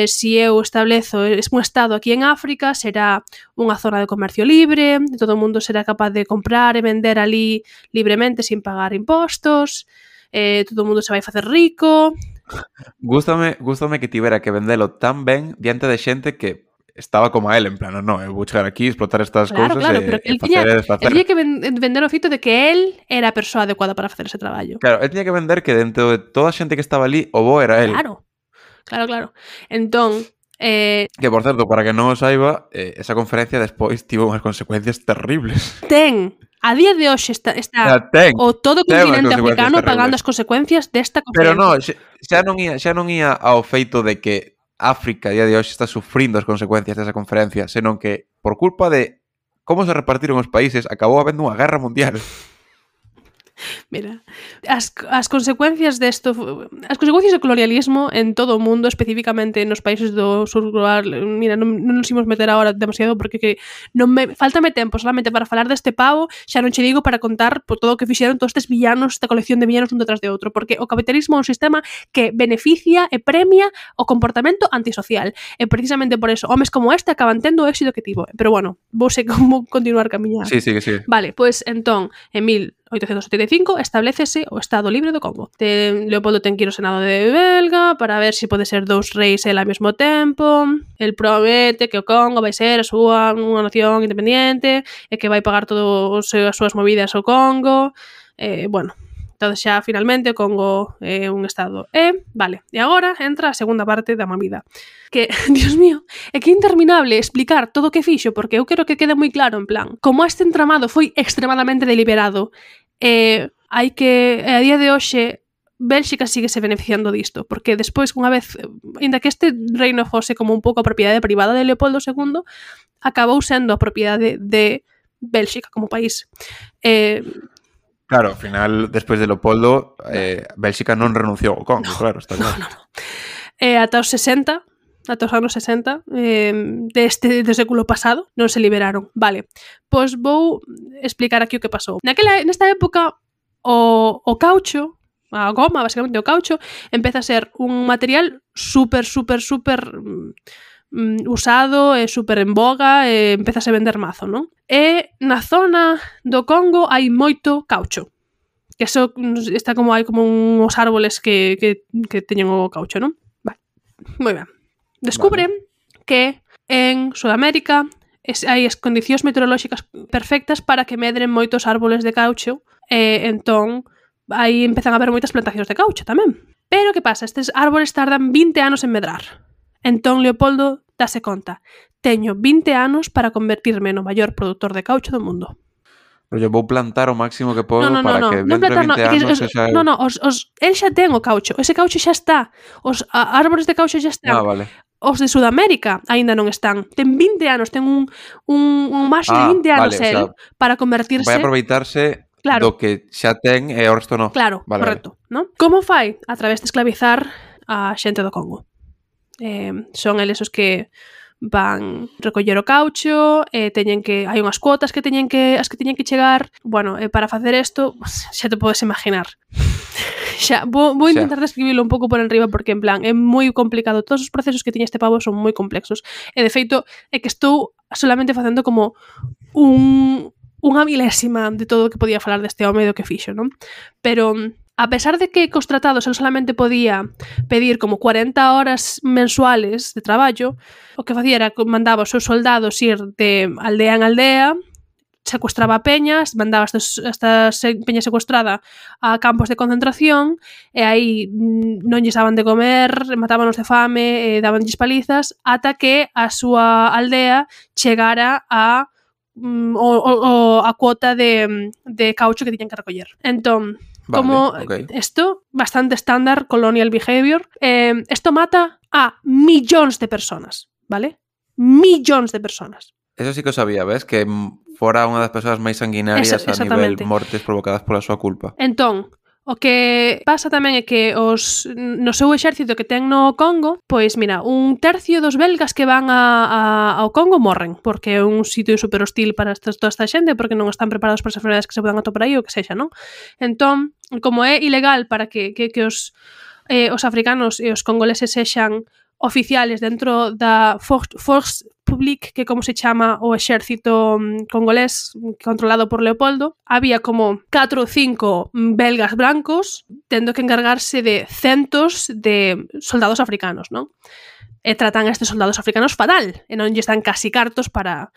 si eu establezo un estado aquí en África, será unha zona de comercio libre, todo o mundo será capaz de comprar e vender ali libremente sin pagar impostos, todo o mundo se vai facer rico. Gústame que tivera que vendelo tan ben diante de xente que estaba como a él, en plan, no, eu vou chegar aquí, explotar estas cousas pero e facer e desfacer. Él tiña que vender o fito de que él era a persoa adecuada para facer ese traballo. Claro, él tiña que vender que dentro de toda a xente que estaba ali, o bo era él. Claro. Entón, que, por certo, para que non o saiba, esa conferencia despois tivo unhas consecuencias terribles. A día de hoxe está o todo o continente africano pagando as consecuencias desta conferencia. Pero non, xa non ia ao feito de que África a día de hoxe está sufrindo as consecuencias desa conferencia, senón que, por culpa de como se repartiron os países, acabou habendo unha guerra mundial. Mira, as consecuencias desto, as consecuencias do colonialismo en todo o mundo, especificamente nos países do sur global, mira, non nos imos meter agora demasiado porque que faltame tempo solamente para falar deste pavo, xa non che digo para contar por todo o que fixeron todos estes villanos, esta colección de villanos un detrás de outro, porque o capitalismo é un sistema que beneficia e premia o comportamento antisocial, e precisamente por eso homes como este acaban tendo o éxito que tivo. Pero bueno, vou continuar camiñar. Sí. Vale, pois entón, en 1875 establecese o Estado Libre do Congo. Leopoldo ten que ir ao Senado de Belga para ver se pode ser dous reis el ao mesmo tempo. El promete que o Congo vai ser a súa unha nación independiente e que vai pagar todas as súas movidas ao Congo. Bueno, entón xa finalmente o Congo é un estado. Vale, e agora entra a segunda parte da movida. Que, Dios mío, é que é interminable explicar todo o que fixo, porque eu quero que quede moi claro, en plan, como este entramado foi extremadamente deliberado, hai que, a día de hoxe, Bélxica sigue se beneficiando disto, porque despois, unha vez, ainda que este reino fose como un pouco a propiedade privada de Leopoldo II, acabou sendo a propiedade de Bélxica como país. Claro, ao final, despois de Leopoldo, Bélxica non renunciou ao Congo, claro, está claro. No. Ata os 60, ata os anos 60 do século pasado non se liberaron. Vale, pois vou explicar aquí o que pasou. Nesta época o caucho, a goma, basicamente o caucho, empeza a ser un material super usado e super en boga e empeza a se vender mazo, non? E na zona do Congo hai moito caucho. Que eso está como hai como uns árboles que teñen o caucho, non? Vale, moi ben. Descubren que en Sudamérica hai as condicións meteorolóxicas perfectas para que medren moitos árboles de caucho e entón aí empezan a haber moitas plantacións de caucho tamén. Pero que pasa? Estes árboles tardan 20 anos en medrar. Entón Leopoldo dase conta, teño 20 anos para convertirme no maior produtor de caucho do mundo. Pero eu vou plantar o máximo que podo para que dentro de 20 anos xa... El xa ten o caucho, ese caucho xa está, os árboles de caucho xa están. Vale. Os de Sudamérica aínda non están. Ten 20 anos, ten un marxo de 20 anos el para convertirse... Vai aproveitarse do que xa ten e o resto non. Claro, correcto. ¿No? Como fai? A través de esclavizar a xente do Congo. Son eles os que van recoller o caucho, hai unhas cuotas que teñen que chegar. Bueno, para facer isto, xa te podes imaginar. Xa, vou intentar describirlo un pouco por enriba porque, en plan, é moi complicado. Todos os procesos que tiña este pavo son moi complexos. E, de feito, é que estou solamente facendo como unha milésima de todo o que podía falar deste home e do que fixo, non? Pero, a pesar de que cos tratados el solamente podía pedir como 40 horas mensuales de traballo, o que facía era que mandaba os seus soldados ir de aldea en aldea, secuestraba peñas, mandaba esta peña secuestrada a campos de concentración e aí non lles daban de comer, matábanos de fame, dabanlles palizas, ata que a súa aldea chegara a cuota de caucho que tiñan que recoller. Entón, como isto, bastante estándar colonial behavior, isto mata a millóns de personas, vale? Millóns de personas. Eso sí que o sabía, ves? Que fora unha das persoas máis sanguinarias a nivel mortes provocadas pola súa culpa. Entón, o que pasa tamén é que no seu exército que ten no Congo, pois mira, 1/3 dos belgas que van ao Congo morren, porque é un sitio super hostil para toda esta xente, porque non están preparados para as enfermedades que se poden atopar aí ou que sexa, non? Entón, como é ilegal para que os africanos e os congoleses sexan oficiales dentro da Force Publique, que como se chama o exército congolés controlado por Leopoldo, había como 4 ou 5 belgas blancos tendo que encargarse de centos de soldados africanos, non? E tratan a estes soldados africanos fatal, e non lles dan casi cartos para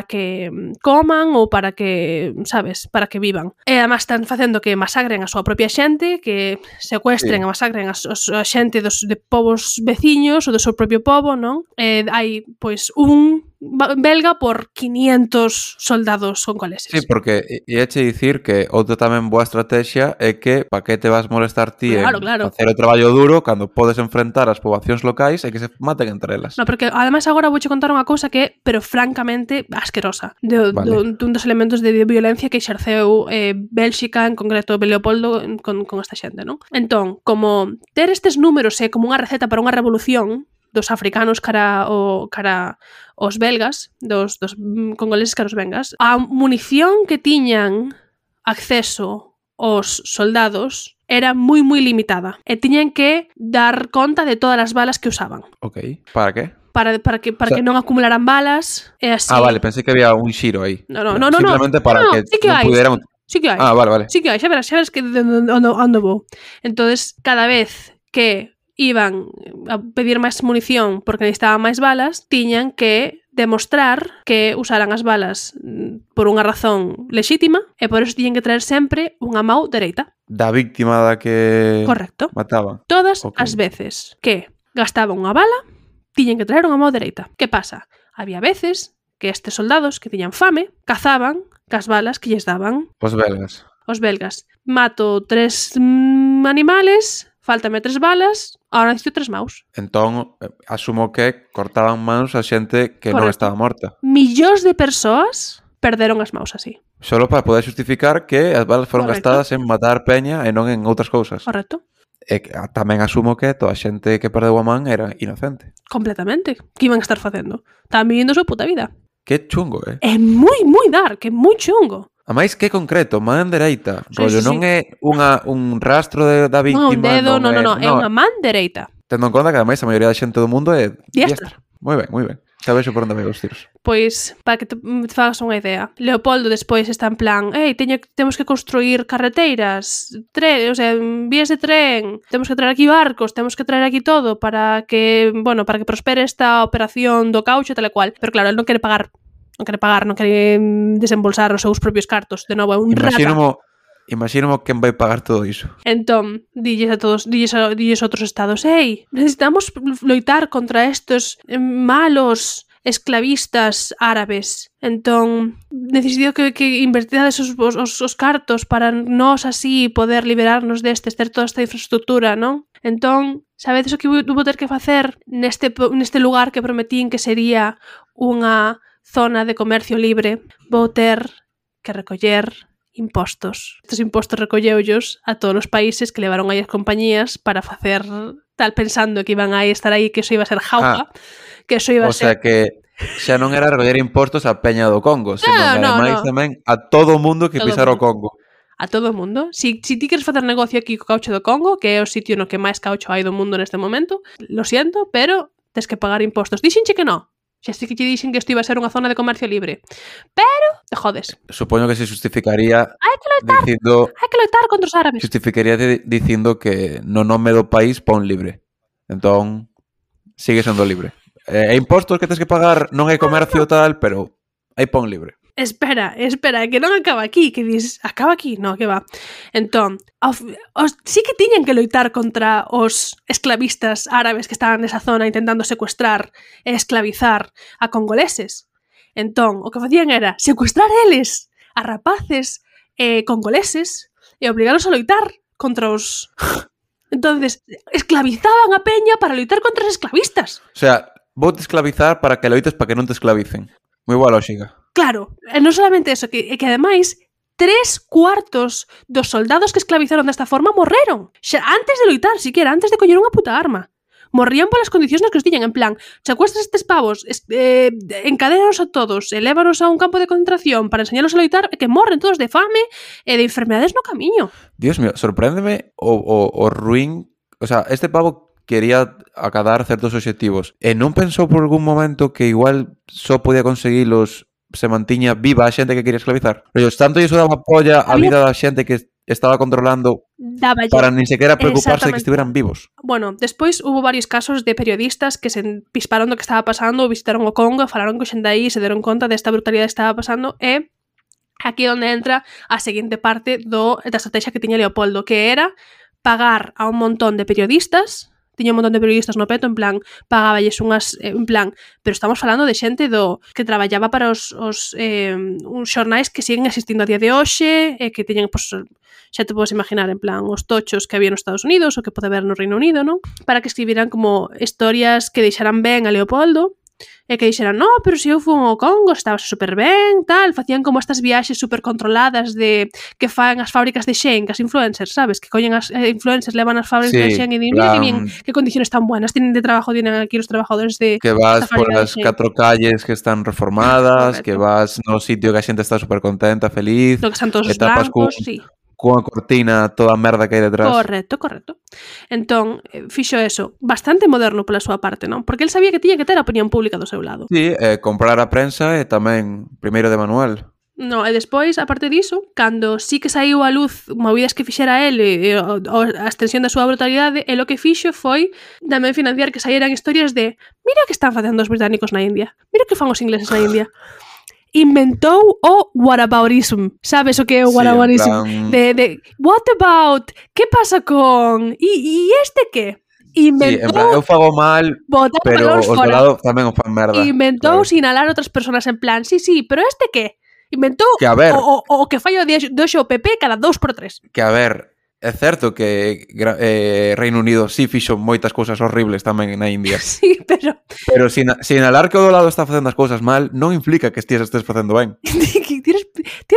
que coman ou para que, sabes, para que vivan. E además están facendo que masacren a súa propia xente, que secuestren e masacren a xente de povos veciños ou do seu propio povo, non? Hai, pois, un belga por 500 soldados congoleses. Sí, porque iache dicir que outra tamén boa estrategia é que pa que te vas molestar ti en facer o traballo duro cando podes enfrentar as poboacións locais e que se maten entre elas. No, porque ademais agora vouche contar unha cousa que, pero francamente asquerosa, dun dos elementos de violencia que exerceu Bélxica, en concreto Leopoldo, con esta xente, non? Entón, como ter estes números é como unha receta para unha revolución dos africanos cara os belgas, dos congoleses cara os belgas, a munición que tiñan acceso os soldados era moi limitada e tiñan que dar conta de todas as balas que usaban. Ok, para que? Para que non acumularan balas e así. Ah, vale, pensei que había un xiro aí. No. Simplemente para que sí que non pudieran... Sí que hai. Ah, vale. Sí que hai, xa verás que onde vou. Entonces, cada vez que iban a pedir máis munición porque necesitaban máis balas, tiñan que demostrar que usaran as balas por unha razón lexítima e por eso tiñan que traer sempre unha mão dereita. Da víctima da que Correcto. Mataban. Todas as veces que gastaban unha bala, tiñen que traer unha mão dereita. Que pasa? Había veces que estes soldados que tiñan fame cazaban cas balas que lles daban os belgas. Mato 3 animales, fáltame 3 balas, ahora necesito 3 maus. Entón, asumo que cortaban mans a xente que non estaba morta. Millóns de persoas perderon as maus así. Solo para poder justificar que as balas foron gastadas en matar peña e non en outras cousas. Correcto. E tamén asumo que toda a xente que perdeu a man era inocente. Completamente. Que iban a estar facendo? Estaban vivindo a súa puta vida. Que chungo, É moi dark, é moi chungo. A máis que concreto, man dereita. Rollo, non é un rastro da víctima. Non, un dedo, é unha man dereita. Tendo en conta que ademais a maioría da xente do mundo é diestra. Moi ben. Sabes por onde vai os tiros. Pois, para que te fagas unha idea, Leopoldo despois está en plan, temos que construir carreteiras, vías de tren, temos que traer aquí barcos, temos que traer aquí todo para que prospere esta operación do caucho tal e cual. Pero claro, el non quere pagar, non quere desembolsar os seus propios cartos. De novo, é un rata. Imagínamo quen vai pagar todo iso. Entón, dilles a outros estados, necesitamos loitar contra estos malos esclavistas árabes. Entón, necesito que invertidades os cartos para nós así poder liberarnos destes, ter toda esta infraestructura, non? Entón, sabedes o que vou ter que facer neste lugar que prometín que sería unha zona de comercio libre? Vou ter que recoller impostos. Estos impostos recolleullos a todos os países que levaron aí as compañías para facer tal pensando que iban a estar aí, que eso iba a ser jauja, que eso iba a ser... O sea que xa non era recoller impostos a Peña do Congo, senón ademais tamén a todo o mundo que pisara o Congo. A todo o mundo. Si ti queres facer negocio aquí co caucho do Congo, que é o sitio no que máis caucho hai do mundo neste momento, lo siento, pero tes que pagar impostos. Dixenche que non. Xa sei que te dixen que isto iba a ser unha zona de comercio libre. Pero te jodes. Supoño que se justificaría hai que loitar contra os árabes. Justificaría dicindo que no nome do país pon libre. Entón, sigue sendo libre. E impostos que tens que pagar non hai comercio tal, pero hai pon libre. Espera, que non acaba aquí, que dices, acaba aquí? No, que va. Entón, sí que tiñan que loitar contra os esclavistas árabes que estaban nesa zona intentando secuestrar e esclavizar a congoleses. Entón, o que facían era secuestrar eles a rapaces congoleses e obligalos a loitar contra os... Entonces, esclavizaban a peña para loitar contra os esclavistas. O sea, vou te esclavizar para que loites para que non te esclavicen. Moi boa lógica. Claro, e non solamente eso, que ademais 3/4 dos soldados que esclavizaron desta forma morreron. Xa antes de loitar, siquiera, antes de coller unha puta arma. Morrían polas condicións nas que os tiñan, en plan, secuestras estes pavos, encadénanos a todos, elévanos a un campo de concentración para enseñalos a loitar, e que morren todos de fame e de enfermedades no camiño. Dios mío, sorpréndeme o ruín... O sea, este pavo quería acadar certos obxectivos. E non pensou por algún momento que igual só podía conseguilos se mantiña viva a xente que quería esclavizar? Pero tanto iso daba polla a vida da xente que estaba controlando para nin sequera preocuparse de que estiveran vivos. Bueno, despois hubo varios casos de periodistas que se pisparon do que estaba pasando, visitaron o Congo, falaron co xente aí, se deron conta desta brutalidade que estaba pasando e aquí é onde entra a seguinte parte da estrategia que tiña Leopoldo, que era pagar a un montón de periodistas. Tiña un montón de periodistas no peto, en plan, pagáballes unhas, en plan, pero estamos falando de xente que traballaba para uns xornais que siguen existindo a día de hoxe, e que tiñen, pues, xa te podes imaginar, en plan, os tochos que había nos Estados Unidos, ou que pode haber no Reino Unido, non? Para que escribiran como historias que deixaran ben a Leopoldo, e que dixeran, no, pero se eu fui ao Congo, estaba super ben, tal, facían como estas viaxes super controladas de que fan as fábricas de Xen, que as influencers, sabes, que collen as influencers, levan as fábricas de Xen e din, mira que bien, que condiciones tan buenas tienen de trabajo, tienen aquí os trabajadores de que vas por as 4 calles que están reformadas, que vas no sitio que a xente está super contenta, feliz, lo que están todos os blancos, sí. Cunha cortina toda a merda que hai detrás. Correcto. Entón, fixo eso, bastante moderno pola súa parte, non? Porque el sabía que tiña que ter a opinión pública do seu lado. Sí, comprar a prensa e tamén primeiro de manual. No, e despois, aparte diso, cando sí que saiu a luz movidas que fixera el e a extensión da súa brutalidade, e lo que fixo foi tamén financiar que saíran historias de mira que están facendo os británicos na India, mira que fan os ingleses na India. Inventou o whataboutism. Sabes o que é o whataboutism? Sí, de what about? Que pasa con? E este que? Inventou... Sí, en plan, eu fago mal, pero os do lado tamén o fan merda. Inventou sinalar outras persoas en plan, sí, pero este que? Inventou que, a ver, o que fai o doxo o PP cada 2x3. Que a ver, é certo que Reino Unido sí fixo moitas cousas horribles tamén na India. Sí, pero sinalar que o do lado está facendo as cousas mal non implica que estés facendo ben. Tires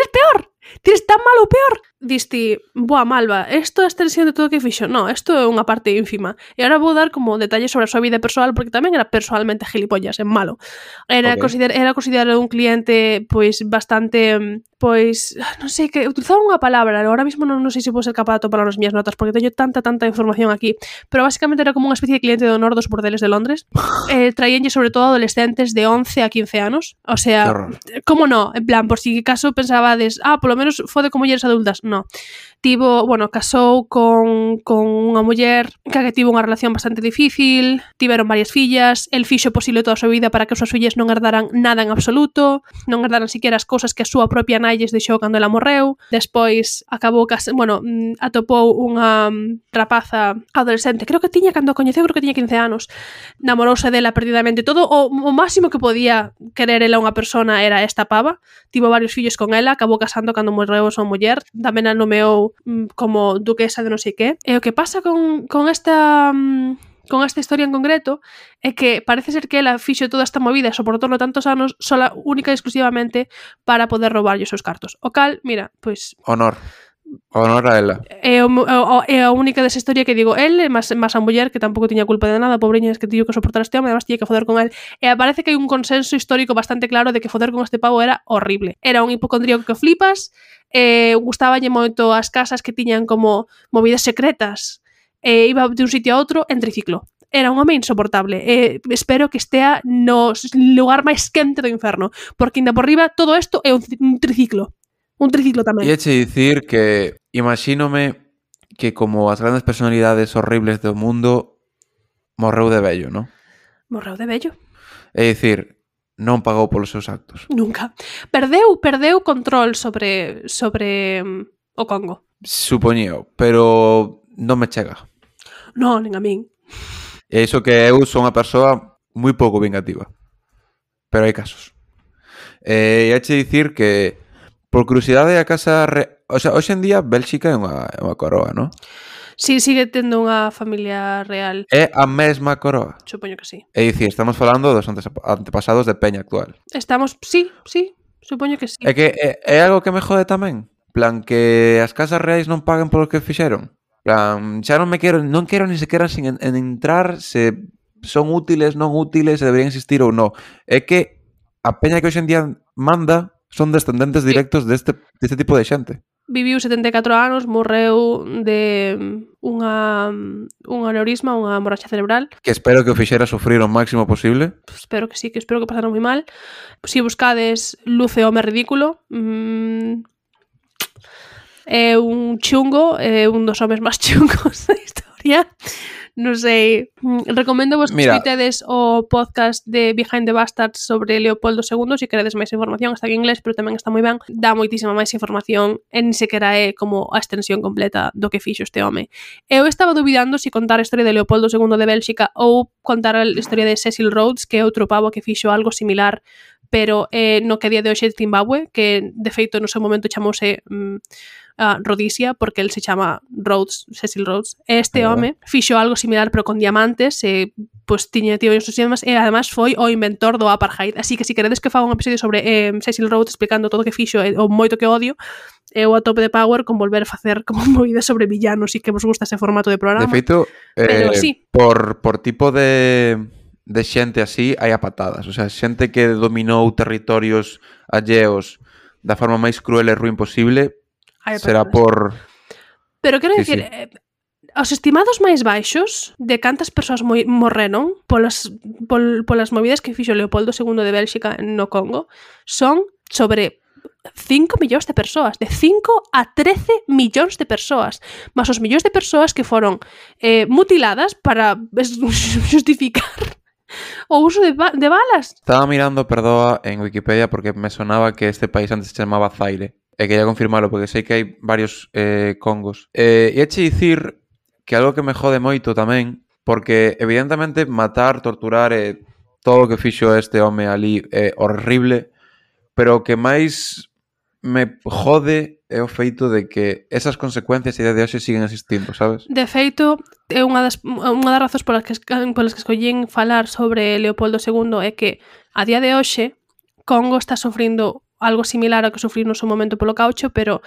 peor. Tires tan mal ou peor. Diste, boa, Malva, isto é a extensión de todo o que fixo. No, isto é unha parte ínfima. E agora vou dar como detalles sobre a súa vida persoal, porque tamén era personalmente gilipollas, en malo. Era considerado un cliente, pois, bastante, pois, non sei, que utilizaba unha palabra, agora mesmo non sei se vou ser capaz de topar nas miñas notas, porque teño tanta información aquí, pero basicamente era como unha especie de cliente de honor dos bordeles de Londres. Traíanlle sobre todo adolescentes de 11 a 15 anos. O sea, como no? En plan, por si caso pensabades, polo menos fode con mulleres adultas. No. Casou con unha muller que tivo unha relación bastante difícil, tiveron varias fillas, el fixo posible toda a súa vida para que as súas fillas non herdaran nada en absoluto, non herdaran siquiera as cousas que a súa propia nai lles deixou cando ela morreu. Despois acabou atopou unha rapaza adolescente, creo que tiña 15 anos, namorouse dela perdidamente todo, o máximo que podía querer ela unha persona era esta pava, tivo varios fillos con ela, acabou casando cando morreu a súa muller, tamén a nomeou como duquesa de non sei que. E o que pasa con esta historia en concreto é que parece ser que ela fixo toda esta movida e soportou tantos anos sola, única e exclusivamente para poder roubarlle os seus cartos. O cal, mira, pois... Honor a ela. É a única desa historia que digo, el, máis a muller, que tampouco tiña culpa de nada, pobreñas, que tiño que soportar este home, además tiña que foder con el. E parece que hai un consenso histórico bastante claro de que foder con este pavo era horrible. Era un hipocondríaco que flipas, gustaballe moito as casas que tiñan como movidas secretas, iba de un sitio a outro en triciclo. Era un home insoportable. Espero que estea no lugar máis quente do inferno, porque ainda por riba todo isto é un triciclo. Un triciclo tamén. E eche dicir que imagínome que como as grandes personalidades horribles do mundo morreu de vello, non? Morreu de vello. É dicir, non pagou polos seus actos. Nunca. Perdeu control sobre o Congo. Supoñeo, pero non me chega. Non, nin a min. E iso que eu sou unha persoa moi pouco vingativa. Pero hai casos. E eche dicir que por curiosidade a casa... O sea, hoxe en día Bélxica é unha coroa, non? Sí, sigue tendo unha familia real. É a mesma coroa? Supoño que sí. É dicir, estamos falando dos antepasados de Peña actual. Sí, supoño que sí. É que é algo que me jode tamén. Plan, que as casas reais non paguen polo que fixeron. Plan, xa non quero ni sequera sin entrar se son útiles, non útiles, se deberían existir ou non. É que a Peña que hoxe en día manda son descendentes directos deste tipo de xente. viviu 74 anos, morreu de un aneurisma, unha hemorraxia cerebral. Que espero que o fixera sufrir o máximo posible. Espero que sí, que espero que pasara moi mal. Si buscades Luce home ridículo, é un chungo, é un dos homes máis chungos da historia. Non sei, recomendo vos que escuitedes o podcast de Behind the Bastards sobre Leopoldo II, se queredes máis información, está en inglés, pero tamén está moi ben, dá moitísima máis información, e nin sequera é como a extensión completa do que fixo este home. Eu estaba dubidando se contar a historia de Leopoldo II de Bélxica ou contar a historia de Cecil Rhodes, que é outro pavo que fixo algo similar, pero no que a día de hoxe é Zimbabue, que de feito no seu momento chamouse Rhodesia, porque el se chama Rhodes, Cecil Rhodes. Este home fixo algo similar pero con diamantes, pues tiña tío os sistemas, e además foi o inventor do apartheid, así que se queredes que faga un episodio sobre Cecil Rhodes explicando todo o que fixo e o moito que odio, eu a tope de power con volver a facer como movidas sobre villanos e que vos gusta ese formato de programa. De feito, sí. por tipo de xente así hai a patadas, o sea, xente que dominou territorios alleos da forma máis cruel e ruin posible. Será por... Pero quero dicir, os estimados máis baixos de cantas persoas morreron polas movidas que fixo Leopoldo II de Bélxica no Congo son sobre 5 millóns de persoas, de 5 a 13 millóns de persoas, mas os millóns de persoas que foron mutiladas para justificar o uso de balas. Estaba mirando, perdoa, en Wikipedia porque me sonaba que este país antes se chamaba Zaire. E quería confirmarlo, porque sei que hai varios Congos. E eche dicir que algo que me jode moito tamén, porque evidentemente matar, torturar e todo o que fixo este home ali é horrible, pero o que máis me jode é o feito de que esas consecuencias a día de hoxe siguen existindo, sabes? De feito, é unha das razóns polas que escollín falar sobre Leopoldo II é que a día de hoxe Congo está sofrindo algo similar ao que sufrir no seu momento polo caucho, pero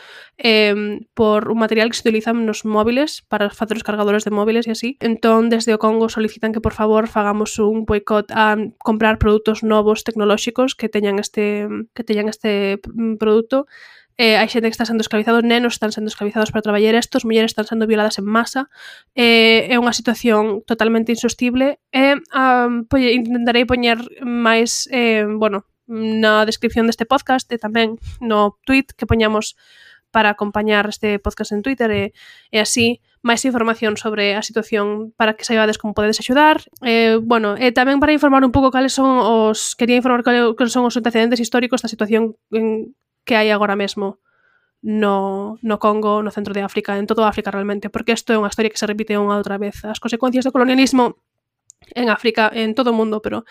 por un material que se utiliza nos móviles para facer os cargadores de móviles e así. Entón, desde o Congo solicitan que, por favor, fagamos un boicot a comprar produtos novos tecnolóxicos que teñan este produto. Hai xente que está sendo esclavizados, nenos están sendo esclavizados para traballar estos, mulleres están sendo violadas en masa. É unha situación totalmente insostible e intentarei poñer máis, na descripción deste podcast e tamén no tweet que poñamos para acompañar este podcast en Twitter e así máis información sobre a situación para que saibades como podedes axudar. E tamén para informar un pouco cales son quería informar cales son os antecedentes históricos da situación que hai agora mesmo no Congo, no centro de África, en toda África realmente, porque isto é unha historia que se repite unha outra vez. As consecuencias do colonialismo en África, en todo o mundo, pero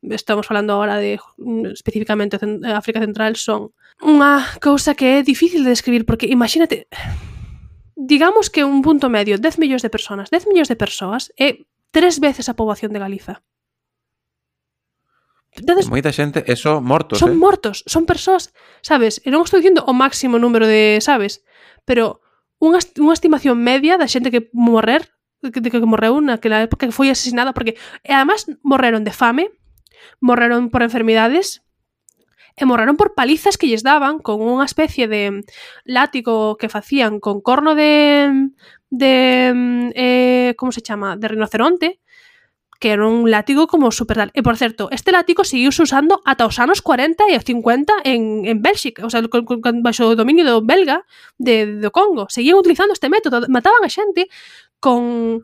estamos falando agora de especificamente África Central, son unha cousa que é difícil de describir, porque imagínate, digamos que un punto medio, 10 millóns de persoas é 3 veces a poboación de Galiza. Entonces, moita xente, eso mortos, son mortos, son persoas, sabes, e non estou dicindo o máximo número de, sabes, pero unha estimación media da xente que morreu naquela época, que foi asesinada, porque además morreron de fame, morreron por enfermidades e morreron por palizas que lles daban con unha especie de látigo que facían con corno de como se chama? De rinoceronte, que era un látigo como super tal. E, por certo, este látigo seguiuse usando ata os anos 40 e 50 en Bélxica, o sea, baixo o dominio do belga do Congo. Seguían utilizando este método, mataban a xente con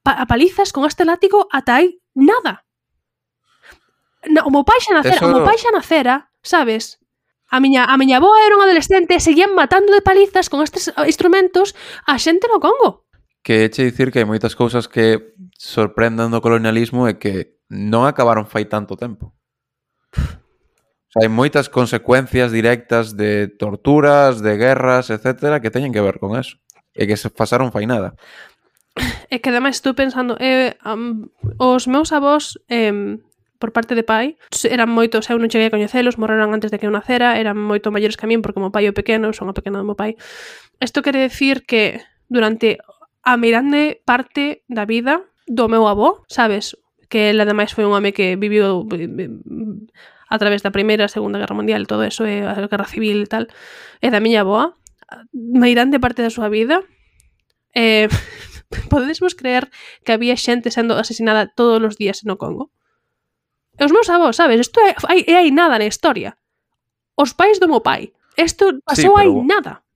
palizas con este látigo ata hai nada. O meu pai xa nacera, sabes? A miña avoa era unha adolescente, seguían matando de palizas con estes instrumentos a xente no Congo. Que eche dicir que hai moitas cousas que sorprendan do colonialismo e que non acabaron fai tanto tempo. O sea, hai moitas consecuencias directas de torturas, de guerras, etcétera, que teñen que ver con eso. E que se pasaron fai nada. É que ademais estou pensando, os meus avós, por parte de pai, eran moitos, eu non cheguei a coñecelos, morreron antes de que eu nacera, eran moito maiores que a min, porque o meu pai é pequeno, son a pequena do meu pai. Isto quere decir que durante a mirande parte da vida do meu avó, sabes, que ele ademais foi un home que viviu a través da Primeira e Segunda Guerra Mundial, todo eso, a Guerra Civil e tal, e da miña avoa, meirande parte da súa vida, podedes vos creer que había xente sendo asesinada todos os días no Congo? E os meus avós, sabes? Isto hai nada na historia. Os pais do meu pai. Isto pasou hai nada.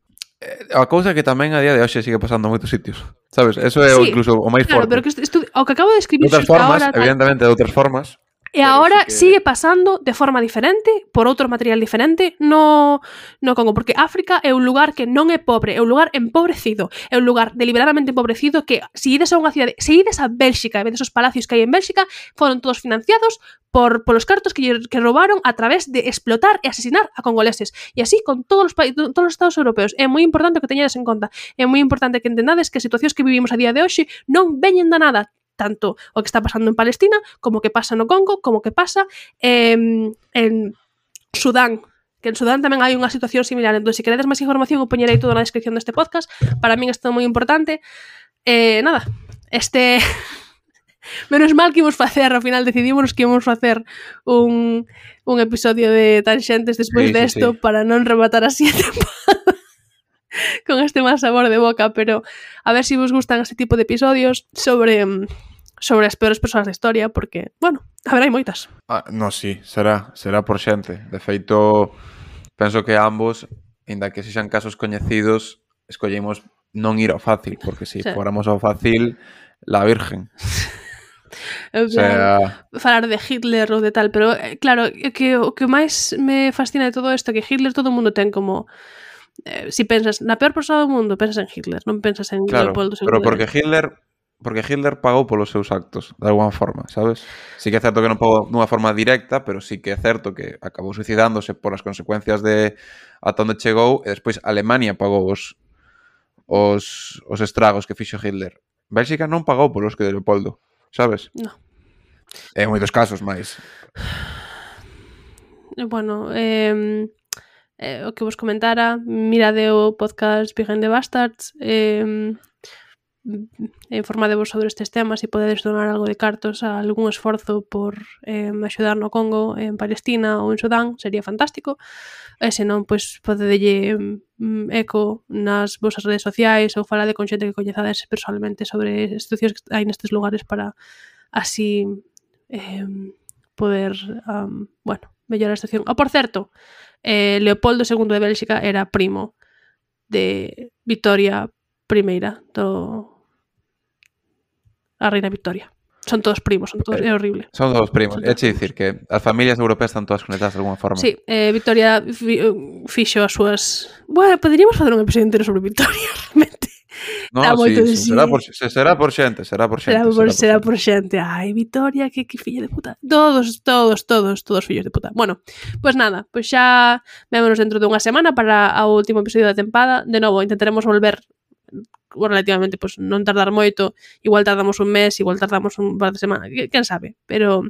A cousa que tamén a día de hoxe sigue pasando en moitos sitios, sabes? Eso é incluso o máis forte. Claro, pero que o que acabo de escribir de outras formas, evidentemente de outras formas. E agora sigue pasando de forma diferente, por outro material diferente, no Congo, porque África é un lugar que non é pobre, é un lugar empobrecido, é un lugar deliberadamente empobrecido que se ides a unha cidade, se ides a Bélxica e vedes os palacios que hai en Bélxica, foron todos financiados polos cartos que roubaron a través de explotar e asesinar a congoleses. E así con todos os estados europeos. É moi importante que teñades en conta. É moi importante que entendades que as situacións que vivimos a día de hoxe non veñen da nada, tanto o que está pasando en Palestina, como o que pasa no Congo, como o que pasa en Sudán, que en Sudán tamén hai unha situación similar. Entón, se queredes máis información, o poñerei todo na descripción deste podcast. Para min isto é moi importante. Nada, menos mal que ímos facer, ao final decidimos que ímos facer un episodio de Tanxentes despois desto para non rematar así a temporada con este mal sabor de boca, pero a ver se vos gustan este tipo de episodios sobre as peores persoas da historia, porque, bueno, a ver, hai moitas. No, sí, será por xente. De feito, penso que ambos, ainda que sexan casos coñecidos, escollemos non ir ao fácil, porque se fóramos ao fácil, la virgen. Falar de Hitler ou de tal, pero claro, o que máis me fascina de todo isto é que Hitler todo o mundo ten como si pensas na peor persoa do mundo, pensas en Hitler, non pensas en Leopoldo II. Pero porque Hitler pagou polos seus actos, de alguma forma, sabes? Sí que é certo que non pagou dunha forma directa, pero sí que é certo que acabou suicidándose por as consecuencias de ata onde chegou, e despois Alemania pagou os estragos que fixo Hitler. Bélxica non pagou polos que de Leopoldo, sabes? No. En moitos casos máis. Bueno, o que vos comentara, mirade o podcast Behind the Bastards, informadevos sobre estes temas e podedes donar algo de cartos a algún esforzo por axudar no Congo, en Palestina ou en Sudán, sería fantástico. E senón, pois, podedelle eco nas vosas redes sociais ou falade con xente que coñezades personalmente sobre as situacións que hai nestes lugares para así poder, mellorar a situación. Por certo, Leopoldo II de Bélxica era primo de Victoria I, a reina Victoria. Son todos primos, é horrible. Son todos primos. É dicir que as familias europeas están todas conectadas de alguma forma. Sí, Victoria fixo as súas... Bueno, poderíamos facer un episodio entero sobre Victoria, realmente. No, sí. Será por xente. Será por xente. Ai, Victoria, que filla de puta. Todos fillos de puta. Bueno, pues nada, pues xa vémonos dentro dunha semana para o último episodio da tempada. De novo, intentaremos volver relativamente, pues non tardar moito. Igual tardamos un mes, igual tardamos un par de semanas, quen sabe. Pero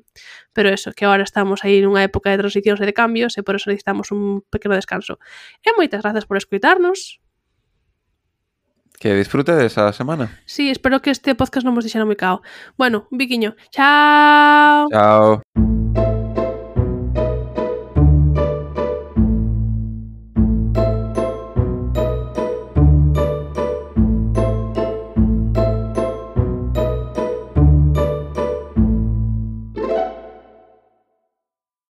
eso, que agora estamos aí nunha época de transicións e de cambios e por eso necesitamos un pequeno descanso. E moitas grazas por escutarnos. Que disfrute desa semana. Sí, espero que este podcast non vos deixara moi cao. Bueno, un biquiño. Chao. Chao.